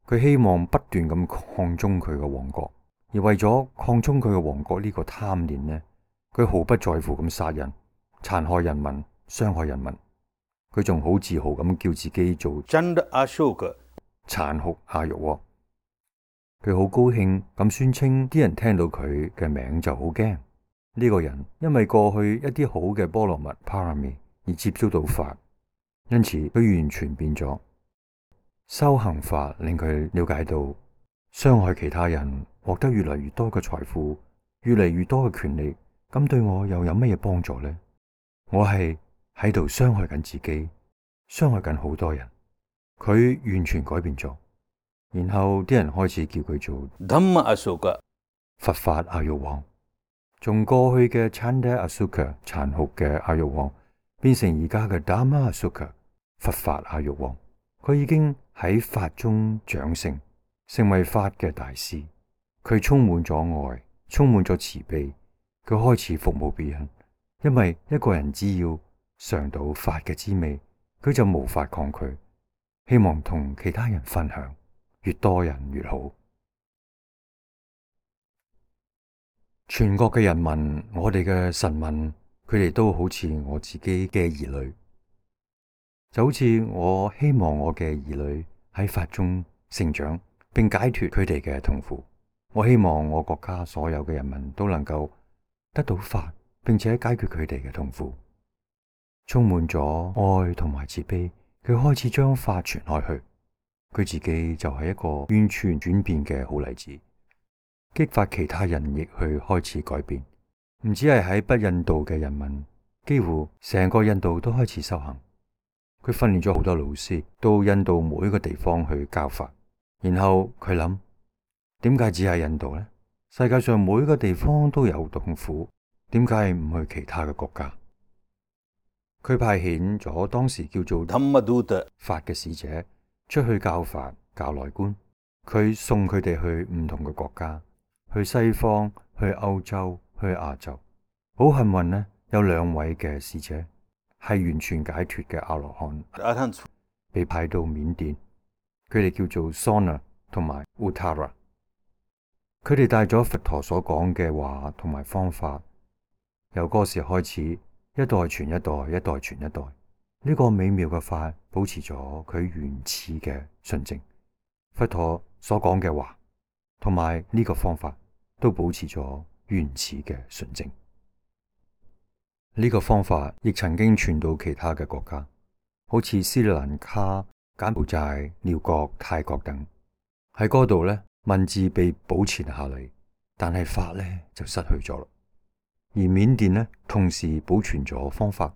佢希望不斷咁擴充佢嘅王國，而為咗擴充佢嘅王國呢個貪念呢，佢毫不在乎咁殺人、殘害人民、傷害人民。佢仲好自豪咁叫自己做真的阿修格殘酷阿育王。佢好高興咁宣稱，啲人聽到佢嘅名就好驚。呢個人因為過去一啲好嘅波羅蜜 Parami 而接觸到法，因此佢完全變咗。修行法令佢了解到，傷害其他人，獲得越嚟越多嘅財富，越嚟越多嘅權利，咁對我又有乜嘢幫助呢？我係喺度傷害緊自己，傷害緊好多人。佢完全改變咗，然後啲人開始叫佢做 Dhamma Asoka。佛法阿育王，從過去嘅 Chanda Asoka 殘酷嘅阿育王，變成而家嘅 Dhamma Asoka 佛法阿育王。佢已經喺法中長成，成為法嘅大師。佢充滿咗愛，充滿咗慈悲。佢開始服務別人，因為一個人只要嘗到法嘅滋味，佢就無法抗拒，希望同其他人分享，越多人越好。全國嘅人民，我哋嘅臣民，佢哋都好似我自己嘅兒女，就好似我希望我嘅兒女喺法中成長，並解脫佢哋嘅痛苦。我希望我國家所有嘅人民都能夠得到法，並且解決佢哋嘅痛苦。充滿咗愛同埋慈悲，佢開始將法傳開去。佢自己就係一個完全轉變嘅好例子，激發其他人亦去開始改變。唔止係喺北印度嘅人民，幾乎成個印度都開始修行。佢訓練咗好多老師到印度每一個地方去教法，然後佢諗，點解只係印度呢？世界上每一個地方都有痛苦，點解唔去其他嘅國家？佢派遣咗當時叫做 Dhammaduta 法嘅使者出去教法、教內觀。佢送佢哋去唔同嘅國家，去西方、去歐洲、去亞洲。好幸運呢，有2位嘅使者係完全解脫嘅阿羅漢，被派到緬甸。佢哋叫做 Sona 同埋 Uttara。佢哋帶咗佛陀所講嘅話同埋方法，由嗰時開始，一代傳一代，一代傳一代。呢個美妙嘅法保持咗佢原始嘅純正。佛陀所講嘅話同埋呢個方法都保持咗原始嘅純正。呢個方法亦曾經傳到其他嘅國家，好似斯里蘭卡、柬埔寨、寮國、泰國等。喺嗰度呢，文字被保存下嚟，但係法呢就失去咗啦。而緬甸呢，同時保存咗方法。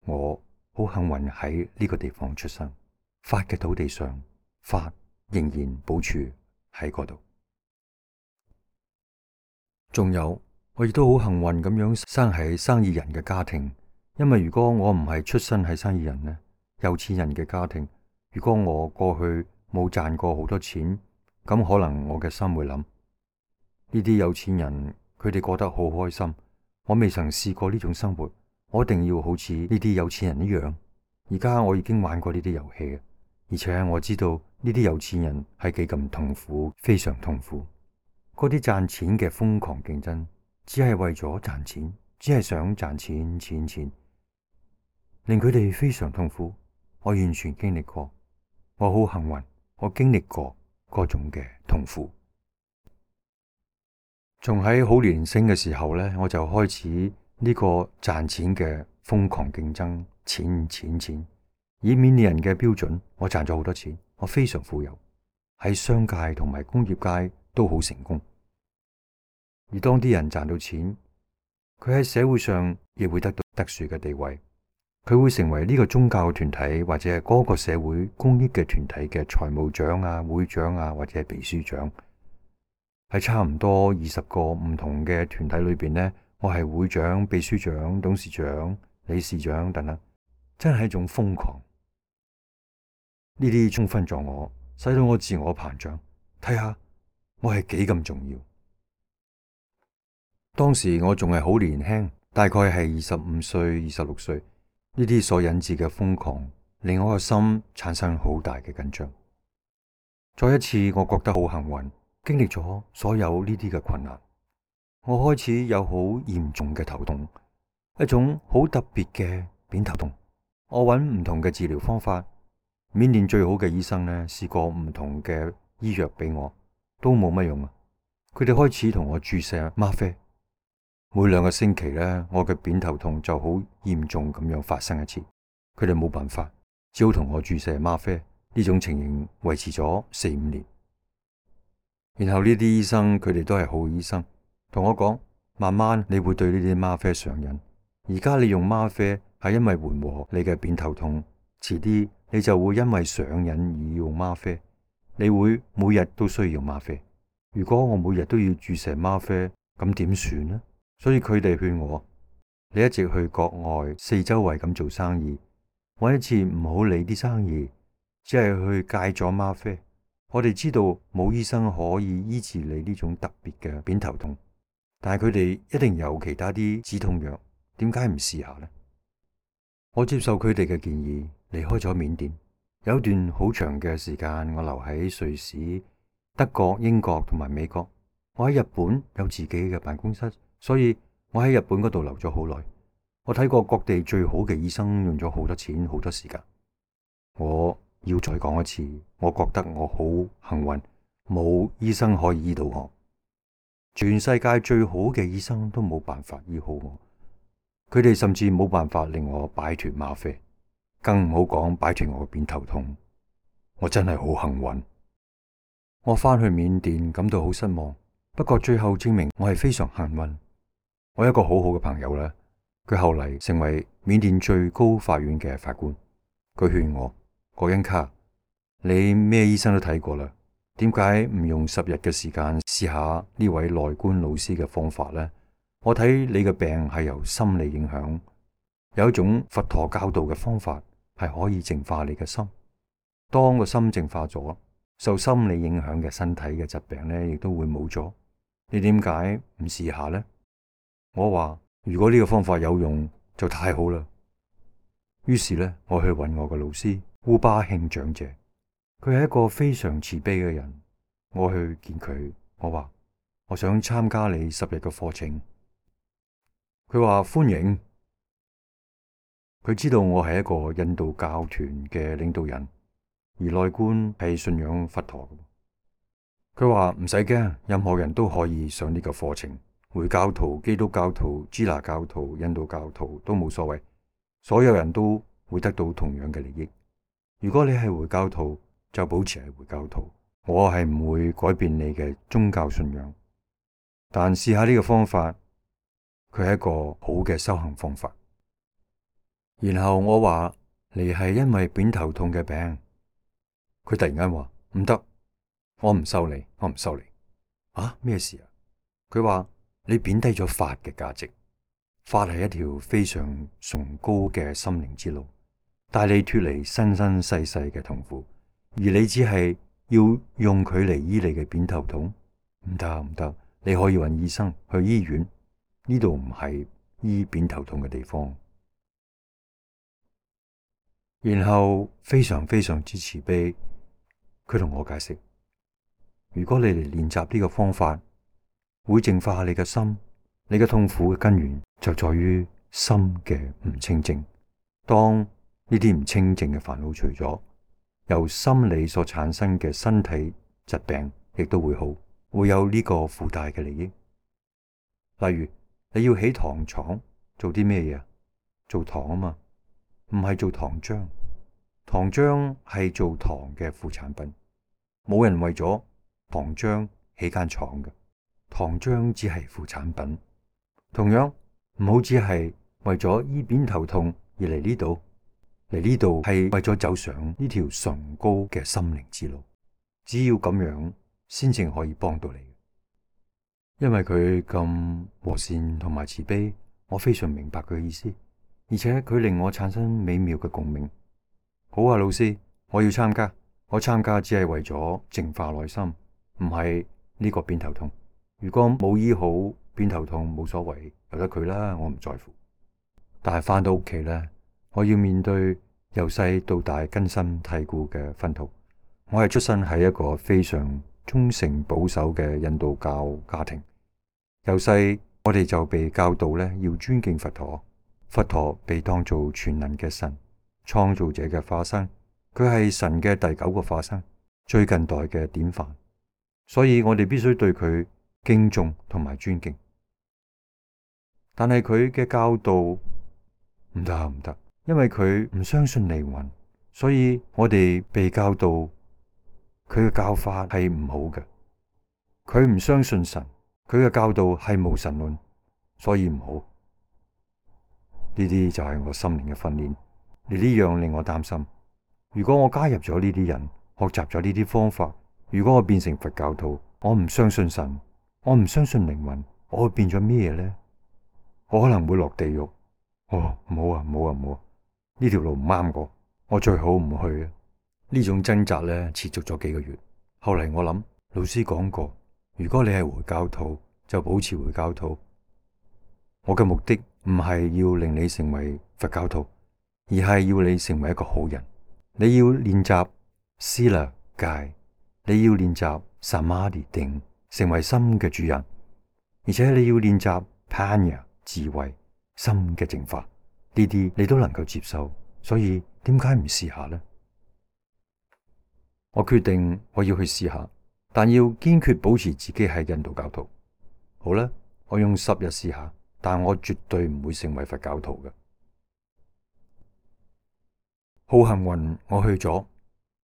我好幸運喺呢個地方出生，法嘅土地上，法仍然保存喺嗰度。仲有，我亦都好幸運咁樣生喺生意人嘅家庭，因為如果我唔係出身喺生意人呢，有錢人嘅家庭，如果我過去冇賺過好多錢，咁可能我嘅心會諗，呢啲有錢人佢哋過得好開心，我未曾試過呢種生活，我一定要好似呢啲有錢人一樣。而家我已經玩過呢啲遊戲，而且我知道呢啲有錢人係幾咁痛苦，非常痛苦。嗰啲賺錢嘅瘋狂競爭，只係為咗賺錢，只係想賺錢，令佢哋非常痛苦。我完全經歷過，我好幸運，我經歷過嗰種嘅痛苦。從喺好年輕嘅時候呢，我就開始呢個賺錢嘅瘋狂競爭，錢。以緬甸人嘅標準，我賺咗好多錢，我非常富有，喺商界同埋工業界都好成功。而當啲人賺到錢，佢喺社會上亦會得到特殊嘅地位，佢會成為呢個宗教團體或者係嗰個社會公益嘅團體嘅財務長啊、會長啊或者係秘書長。喺差唔多20個唔同嘅團體裏邊呢，我係會長、秘書長、董事長、理事長等等，真係一種瘋狂。呢啲充分咗我，使到我自我膨脹，睇下我係幾咁重要。當時我仲係好年輕，大概係25歲、26歲，呢啲所引致嘅瘋狂，令我個心產生好大嘅緊張。再一次，我覺得好幸運，經歷咗所有呢啲嘅困難，我開始有好嚴重嘅頭痛，一種好特別嘅扁頭痛。我揾唔同嘅治療方法，緬甸最好嘅醫生呢，試過唔同嘅醫藥俾我，都冇乜用啊。佢哋開始同我注射嗎啡，每2個星期呢，我嘅扁頭痛就好嚴重咁樣發生一次。佢哋冇辦法，只好同我注射嗎啡。呢種情形維持咗4-5年。然後呢啲醫生佢哋都係好醫生，同我講，慢慢你會對呢啲嗎啡上癮。而家你用嗎啡係因為緩和你嘅扁頭痛，遲啲你就會因為上癮而用嗎啡，你會每日都需要嗎啡。如果我每日都要注射嗎啡，咁點算呢？所以佢哋勸我，你一直去國外四周圍咁做生意，搵一次唔好理啲生意，只係去戒咗嗎啡。我哋知道冇醫生可以醫治你呢種特別嘅偏頭痛，但係佢哋一定有其他啲止痛藥，點解唔試下呢？我接受佢哋嘅建議，離開咗緬甸。有一段好長嘅時間，我留喺瑞士、德國、英國同埋美國。我喺日本有自己嘅辦公室，所以我喺日本嗰度留咗好耐。我睇過各地最好嘅醫生，用咗好多錢、好多時間。我要再講一次，我覺得我好幸運，冇醫生可以醫到我。全世界最好嘅醫生都冇辦法醫好我，佢哋甚至冇辦法令我擺脫嗎啡，更唔好講擺脫我嘅偏頭痛。我真係好幸運。我返去緬甸感到好失望，不過最後證明我係非常幸運。我有一個好好嘅朋友咧，佢後嚟成為緬甸最高法院嘅法官。佢勸我，郭恩卡，你咩醫生都睇過啦，點解唔用10日嘅時間試下呢位內觀老師嘅方法呢？我睇你嘅病係由心理影響，有一種佛陀教導嘅方法係可以淨化你嘅心。當個心淨化咗，受心理影響嘅身體嘅疾病呢亦都會冇咗。你點解唔試下呢？我話如果呢個方法有用就太好啦。於是呢，我去揾我嘅老師烏巴慶長者，佢係一個非常慈悲嘅人。我去見佢，我話我想參加你10日嘅課程。佢話歡迎。佢知道我係一個印度教團嘅領導人，而內觀係信仰佛陀。佢話唔使驚，任何人都可以上呢個課程，回教徒、基督教徒、支那教徒、印度教徒都冇所謂，所有人都會得到同樣嘅利益。如果你係回教徒，就保持係回教徒，我係唔會改變你嘅宗教信仰。但試下呢個方法，佢係一個好嘅修行方法。然後我話你係因為偏頭痛嘅病，佢突然間話唔得，我唔收你，我唔收你。啊，咩事啊？佢話你貶低咗法嘅價值，法係一條非常崇高嘅心靈之路，帶你脫離生生世世嘅痛苦，而你只係要用佢嚟醫你嘅偏頭痛，唔得唔得，你可以揾醫生，去醫院，呢度唔係醫偏頭痛嘅地方。然後非常非常之慈悲，佢同我解釋，如果你嚟練習呢個方法，會淨化你嘅心，你嘅痛苦嘅根源就在於心嘅唔清淨。當呢啲唔清淨嘅煩惱除咗，由心理所產生嘅身體疾病亦都會好，會有呢個附帶嘅利益。例如你要起糖廠，做啲咩嘢？做糖啊嘛，唔係做糖漿。糖漿係做糖嘅副產品，冇人為咗糖漿起間廠嘅，糖漿只係副產品。同樣唔好只係為咗醫偏頭痛而嚟呢度，嚟呢度係為咗走上呢條崇高嘅心靈之路。只要咁樣，先至可以幫到你。因為佢咁和善同埋慈悲，我非常明白佢嘅意思，而且佢令我產生美妙嘅共鳴。好啊，老師，我要參加。我參加只係為咗淨化內心，唔係呢個偏頭痛。如果冇醫好偏頭痛，冇所謂，由得佢啦，我唔在乎。但係返到屋企咧，我要面對由細到大根深蒂固嘅熏陶。我係出生喺一個非常忠誠保守嘅印度教家庭，由細我哋就被教導咧要尊敬佛陀。佛陀被當做全能嘅神，創造者嘅化身，佢係神嘅第9個化身，最近代嘅典範，所以我哋必須對佢敬重同埋尊敬。但係佢嘅教導唔得，因為佢唔相信靈魂，所以我哋被教導佢嘅教法係唔好嘅。佢唔相信神，佢嘅教導係無神論，所以唔好。呢啲就係我心靈嘅訓練。呢樣令我擔心。如果我加入咗呢啲人，學習咗呢啲方法，如果我變成佛教徒，我唔相信神，我唔相信靈魂，我會變咗咩呢？我可能會落地獄。哦，唔好啊，唔好啊，唔好啊！呢條路唔啱我最好唔去啊！呢種掙扎咧持續咗幾個月。後嚟我諗，老師講過，如果你係回教徒，就保持回教徒。我嘅目的唔係要令你成為佛教徒，而係要你成為一個好人。你要練習思量戒，你要練習薩瑪迪定，成為心嘅主人，而且你要練習攀呀智慧，心嘅淨化。呢啲你都能夠接受，所以點解唔試下呢？我決定我要去試下，但要堅決保持自己係印度教徒。好啦，我用10日試下，但我絕對唔會成為佛教徒嘅。好幸運，我去咗。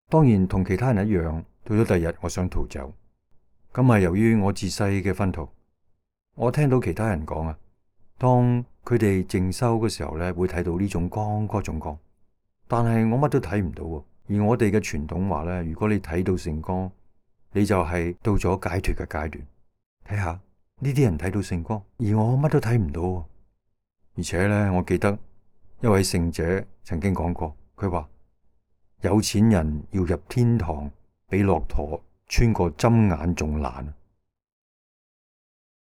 當然同其他人一樣，到咗第二日我想逃走。咁係由於我自細嘅薰陶。我聽到其他人講啊，當佢哋靜修嘅時候咧，會睇到呢種光嗰種光，但係我乜都睇唔到。而我哋嘅傳統話咧，如果你睇到聖光，你就係到咗解脫嘅階段。睇下呢啲人睇到聖光，而我乜都睇唔到。而且咧，我記得一位聖者曾經講過，佢話有錢人要入天堂，比駱駝穿過針眼仲難。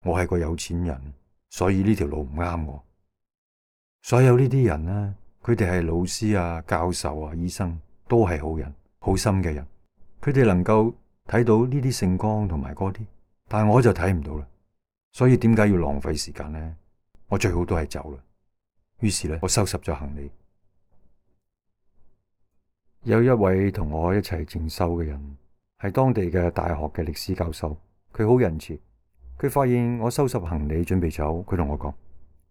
我係個有錢人，所以呢條路唔啱我。所有呢啲人呢，佢哋係老師啊、教授啊、醫生，都係好人、好心嘅人。佢哋能夠睇到呢啲聖光同埋嗰啲，但係我就睇唔到啦。所以點解要浪費時間呢？我最好都係走啦。於是咧，我收拾咗行李。有一位同我一齊靜修嘅人，係當地嘅大學嘅歷史教授，佢好仁慈。佢發現我收拾行李準備走，佢同我講：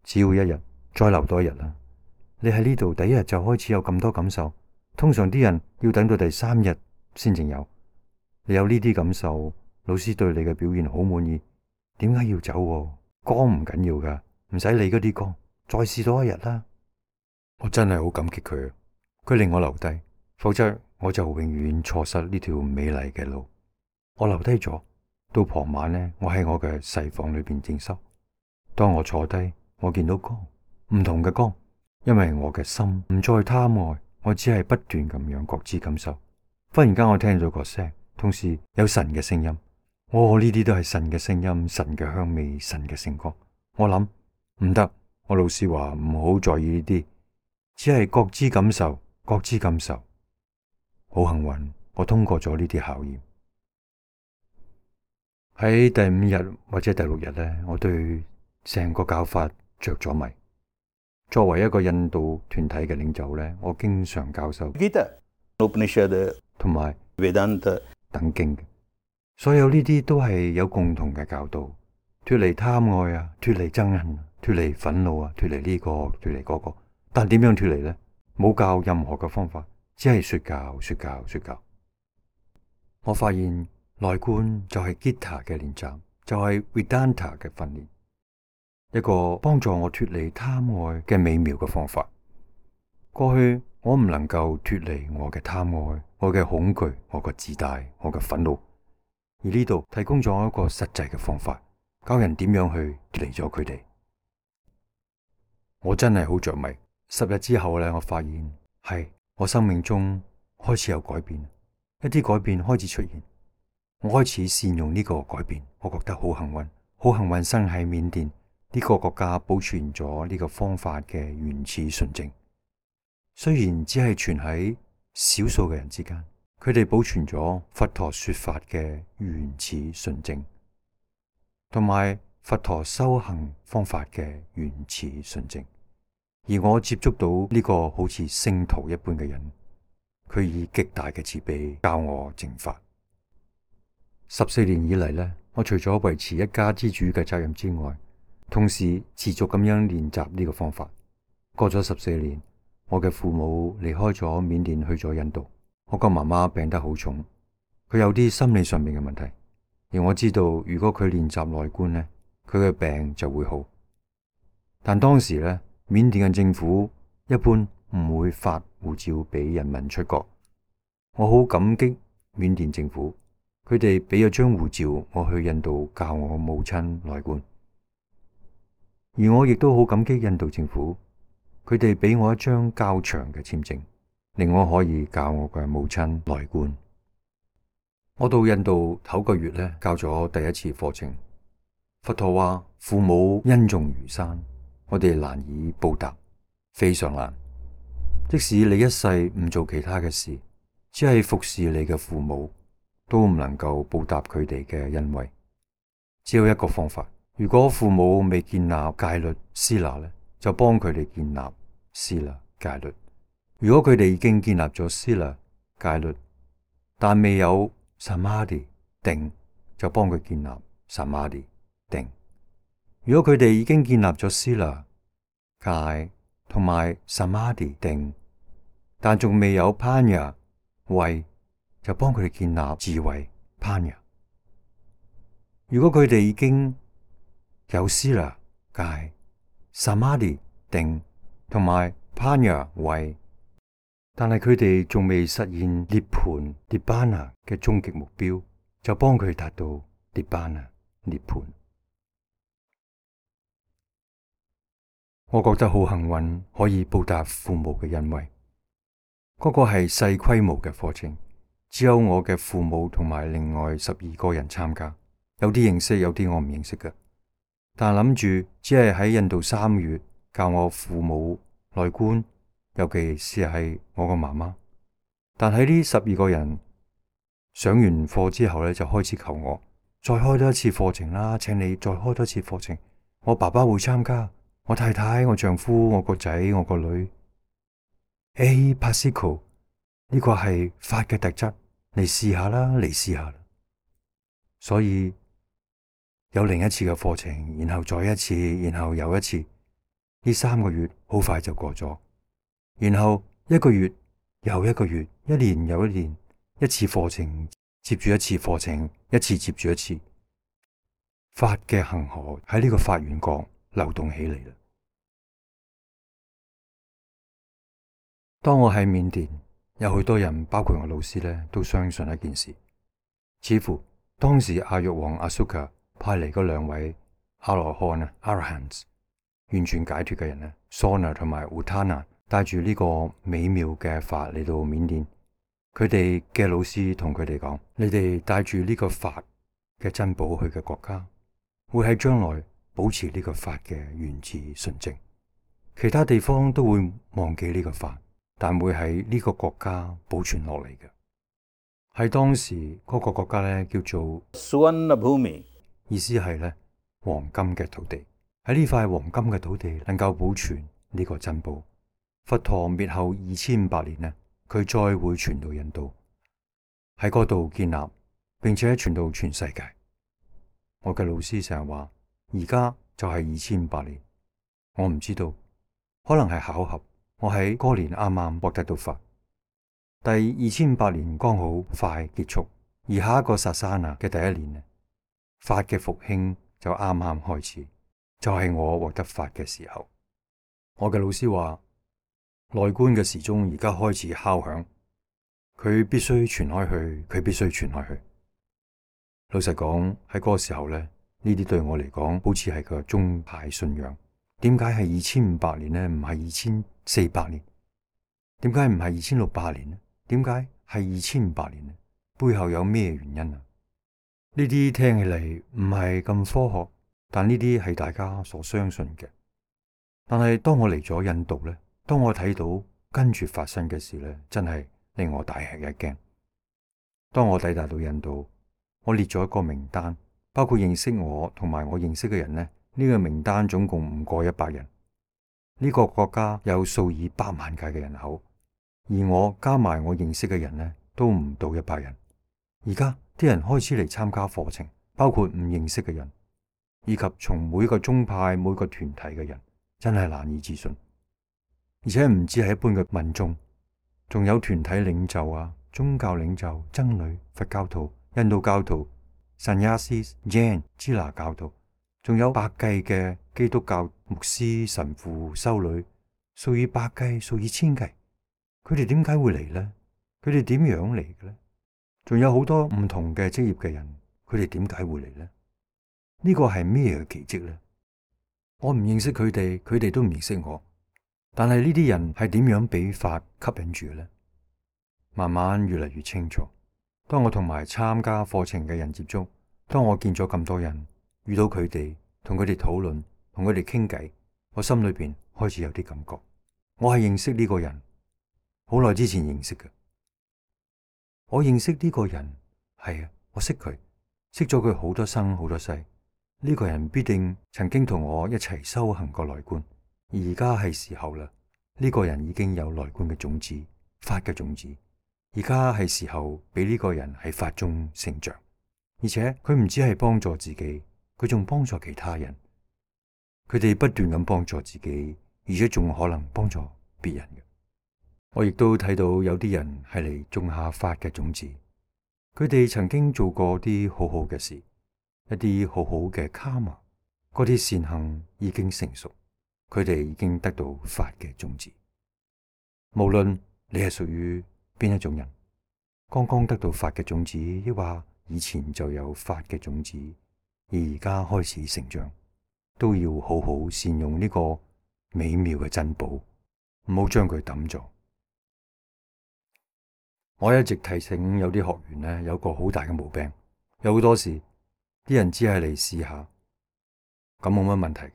只要一日，再留多一日啦。你喺呢度第一日就開始有咁多感受，通常啲人要等到第3日先至有。你有呢啲感受，老師對你嘅表現好滿意，點解要走？光唔緊要噶，唔使理嗰啲光，再試多一日啦。我真係好感激佢，佢令我留低，否則我就永遠錯失呢條美麗嘅路。我留低咗。到傍晚呢，我喺我嘅細房裏邊靜修。當我坐低，我見到光，唔同嘅光，因為我嘅心唔再貪愛，我只係不斷咁樣覺知感受。忽然間我聽到個聲，同時有神嘅聲音。呢啲都係神嘅聲音，神嘅香味，神嘅聖光。我諗唔得，我老師話唔好在意呢啲，只係覺知感受，覺知感受。好幸運，我通過咗呢啲考驗。喺第5日或者第6日呢，我對成個教法着咗迷。作為一個印度團體嘅領袖呢，我經常教授 Gita、Upanishad 同埋 Vedanta 等經嘅，所有呢啲都係有共同嘅教導，脫離貪愛啊，脫離憎恨，脫離憤怒啊，脫離呢個，脫離嗰個。但點樣脫離呢？冇教任何嘅方法，只係說教、說教、說教。我發現內觀就係 Gita 嘅練習，就係 Vedanta 嘅訓練，一個幫助我脫離貪愛嘅美妙嘅方法。過去我唔能夠脫離我嘅貪愛、我嘅恐懼、我嘅自大、我嘅憤怒，而呢度提供咗一個實際嘅方法，教人點樣去脫離咗佢哋。我真係好着迷。10日之後呢，我發現係我生命中開始有改變，一啲改變開始出現。我開始善用呢個改變，我覺得好幸運，好幸運生喺緬甸呢個國家，保存咗呢個方法嘅原始純正。雖然只係存喺少數嘅人之間，佢哋保存咗佛陀說法嘅原始純正，同埋佛陀修行方法嘅原始純正。而我接觸到呢個好似聖徒一般嘅人，佢以極大嘅慈悲教我正法。14年以嚟呢，我除咗維持一家之主嘅責任之外，同時持續咁樣練習呢個方法。過咗14年，我嘅父母離開咗緬甸去咗印度。我個媽媽病得好重，佢有啲心理上面嘅問題，而我知道如果佢練習內觀呢，佢嘅病就會好。但當時呢，緬甸嘅政府一般唔會發護照俾人民出國。我好感激緬甸政府，佢哋俾咗張護照我去印度教我母親內觀，而我亦都好感激印度政府，佢哋俾我一張較長嘅簽證，令我可以教我嘅母親內觀。我到印度頭個月呢，教咗第一次課程。佛陀話：父母恩重如山，我哋難以報答，非常難。即使你一世唔做其他嘅事，只係服侍你嘅父母，都唔能夠報答佢哋嘅恩惠。只有一個方法，如果父母未建立戒律施那呢，就幫佢哋建立施那戒律；如果佢哋已經建立咗施那戒律，但未有samadhi定，就幫佢建立samadhi定。如果佢哋已經建立咗施那戒同埋samadhi定，但仲未有panya慧，就幫佢哋建立智慧 panya。如果佢哋已經有施那戒、samadhi定同埋panya慧，但係佢哋仲未實現涅槃 nibbana 嘅終極目標，就幫佢達到 nibbana 涅槃。我覺得好幸運，可以報答父母嘅恩惠。嗰個係細規模嘅課程，只有我嘅父母同埋另外12個人參加，有啲認識，有啲我唔認識嘅。但諗住只係喺印度3月教我父母內觀，尤其是係我個媽媽。但喺呢12個人上完課之後呢，就開始求我再開多一次課程啦，請你再開多一次課程。我爸爸會參加，我太太、我丈夫、我個仔、我個女。Pasiko， 呢個係法嘅特質，你試下啦，你試下啦。所以有另一次嘅課程，然後再一次，然後又一次。呢3個月好快就過咗，然後1個月又1個月，一年又一年，一次課程接住一次課程，一次接住一次。法嘅恆河喺呢個法緣國流動起嚟啦。當我喺緬甸，有許多人，包括我老師呢，都相信一件事，似乎當時阿育王阿蘇卡派嚟嗰2位阿羅漢啊 Arahants 完全解脫嘅人呢，Sona 同埋 Utana 帶住呢個美妙嘅法嚟到緬甸。佢哋嘅老師同佢哋講：你哋帶住呢個法嘅珍寶去嘅國家，會喺將來保持呢個法嘅原始純正，其他地方都會忘記呢個法，但會喺呢個國家保存落嚟嘅。喺當時嗰個國家呢，叫做 Suvarna Bhumi， 意思係呢黃金嘅土地。喺呢塊黃金嘅土地能夠保存呢個珍寶。佛陀滅後2500年呢，佢再會傳到印度，喺嗰度建立，並且傳到全世界。我嘅老師成日話，而家就係2500年，我唔知道，可能係巧合。我喺嗰年啱啱獲得到法，第2500年剛好快結束，而下一個薩沙那嘅第1年呢，法嘅復興就啱啱開始，就係我獲得法嘅時候。我嘅老師話，內觀嘅時鐘而家開始敲響，佢必須傳開去，佢必須傳開去。老實講，喺嗰個時候呢，呢啲對我嚟講好似係個宗派信仰。點解係2500年呢？唔係2400年？點解唔係2600年呢？點解係2500年呢？背後有咩原因啊？呢啲聽起嚟唔係咁科學，但呢啲係大家所相信嘅。但係當我嚟咗印度呢，當我睇到跟住發生嘅事呢，真係令我大吃一驚。當我抵達到印度，我列咗一個名單，包括認識我同埋我認識嘅人呢。呢個名單總共唔過100人。呢個國家有數以百萬計嘅人口，而我加埋我認識嘅人呢，都唔到100人。而家啲人開始嚟參加課程，包括唔認識嘅人，以及從每個宗派、每個團體嘅人，真係難以置信。而且唔止係一般嘅民眾，仲有團體領袖啊、宗教領袖、僧侶、佛教徒、印度教徒、Sannyasis、Jain、支那教徒。仲有百計嘅基督教牧師、神父、修女，數以百計、數以千計。佢哋點解會嚟呢？佢哋點樣嚟嘅呢？仲有好多唔同嘅職業嘅人，佢哋點解會嚟呢？呢個係咩嘅奇蹟呢？我唔認識佢哋，佢哋都唔認識我。但係呢啲人係點樣俾法吸引住嘅呢？慢慢越嚟越清楚。當我同埋參加課程嘅人接觸，當我見咗咁多人，遇到佢哋，同佢哋討論，同佢哋傾偈，我心裏邊開始有啲感覺。我係認識呢個人，好耐之前認識嘅。我認識呢個人，係啊，我識佢，識咗佢好多生好多世。呢個人必定曾經同我一齊修行過內觀，而家係時候啦。呢個人已經有內觀嘅種子，法嘅種子。而家係時候俾呢個人喺法中成長，而且佢唔止係幫助自己，佢仲幫助其他人。佢哋不斷咁幫助自己，而且仲可能幫助別人嘅。我亦都睇到有啲人係嚟種下法嘅種子，佢哋曾經做過啲好好嘅事，一啲好好嘅卡瑪，嗰啲善行已經成熟，佢哋已經得到法嘅種子。無論你係屬於邊一種人，剛剛得到法嘅種子，抑或以前就有法嘅種子，而家開始成長，都要好好善用呢個美妙嘅珍寶，唔好將佢抌咗。我一直提醒有啲學員呢，有個好大嘅毛病，有好多時啲人只係嚟試下，咁冇乜問題嘅。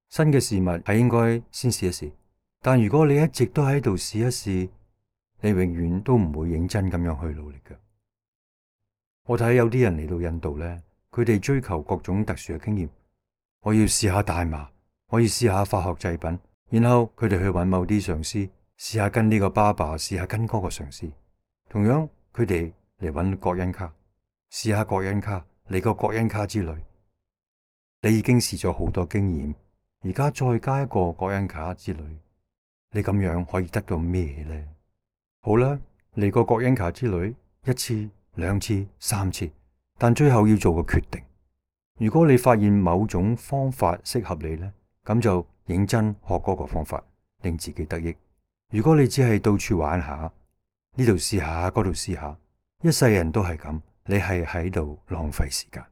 新嘅事物係應該先試一試，但如果你一直都喺度試一試，你永遠都唔會認真咁樣去努力嘅。我睇有啲人嚟到印度呢，佢哋追求各種特殊嘅經驗。我要試下大麻，我要試下化學製品，然後佢哋去揾某啲上司，試下跟呢個爸爸，試下跟嗰個上司。同樣，佢哋嚟揾國恩卡，試下國恩卡，嚟個國恩卡之旅。你已經試咗好多經驗，而家再加一個國恩卡之旅，你咁樣可以得到咩呢？好啦，嚟個國恩卡之旅1次、2次、3次，但最後要做個決定。如果你發現某種方法適合你呢，咁就認真學嗰個方法，令自己得益。如果你只係到處玩下，呢度試下，嗰度試下，一世人都係咁，你係喺度浪費時間。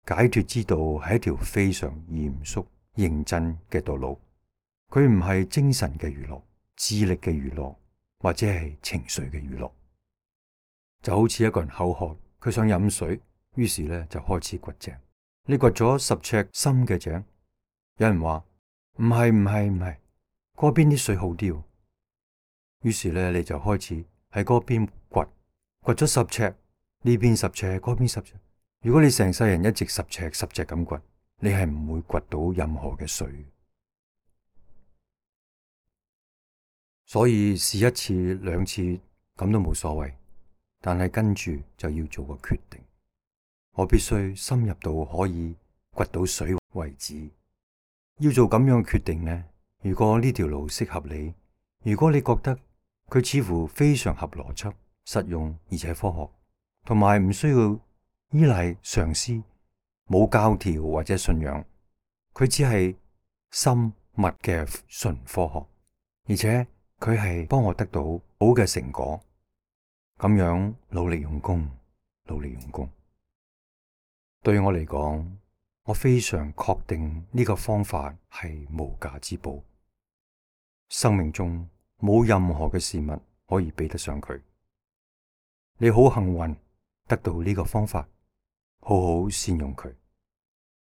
解脫之道係一條非常嚴肅、認真嘅道路，佢唔係精神嘅娛樂、智力嘅娛樂，或者係情緒嘅娛樂。就好似一個人口渴，佢想飲水，於是咧就開始掘井。你掘咗10尺深嘅井，有人話唔係，嗰邊啲水好啲。於是咧你就開始喺嗰邊掘咗10尺，呢邊10尺，嗰邊10尺。如果你成世人一直10尺咁掘，你係唔會掘到任何嘅水。所以試1次、2次咁都冇所謂，但係跟住就要做個決定。我必須深入到可以掘到水為止。要做咁樣嘅決定呢？如果呢條路適合你，如果你覺得佢似乎非常合邏輯、實用而且科學，同埋唔需要依賴上司，冇教條或者信仰，佢只係深密嘅純科學，而且佢係幫我得到好嘅成果，咁樣努力用功，對我嚟講，我非常確定呢個方法係無價之寶，生命中冇任何嘅事物可以比得上佢。你好幸運得到呢個方法，好好善用佢，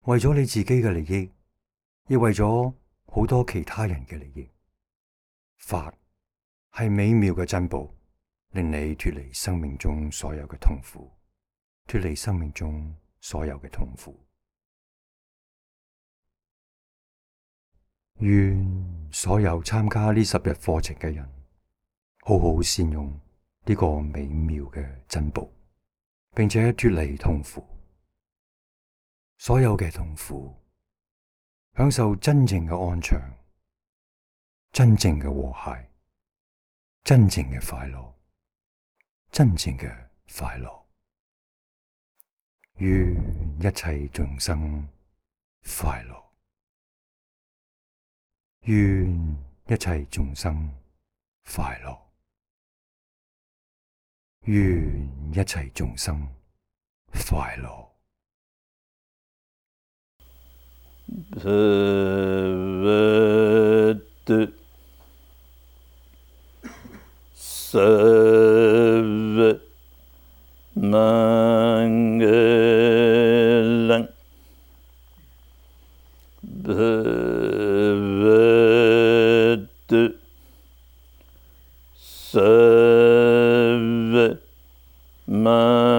為咗你自己嘅利益，亦為咗好多其他人嘅利益。法係美妙嘅珍寶，令你脫離生命中所有嘅痛苦，脫離生命中所有嘅痛苦。願所有參加呢10日課程嘅人，好好善用呢個美妙嘅珍寶，並且脫離痛苦，所有嘅痛苦，享受真正嘅安詳，真正嘅和諧，真正嘅快樂，真正嘅快樂。願一切眾生快樂，願一切眾生快樂，願一切眾生快樂。Bhagavad Sarva Mangalam Bhagavad Sarva Mangalam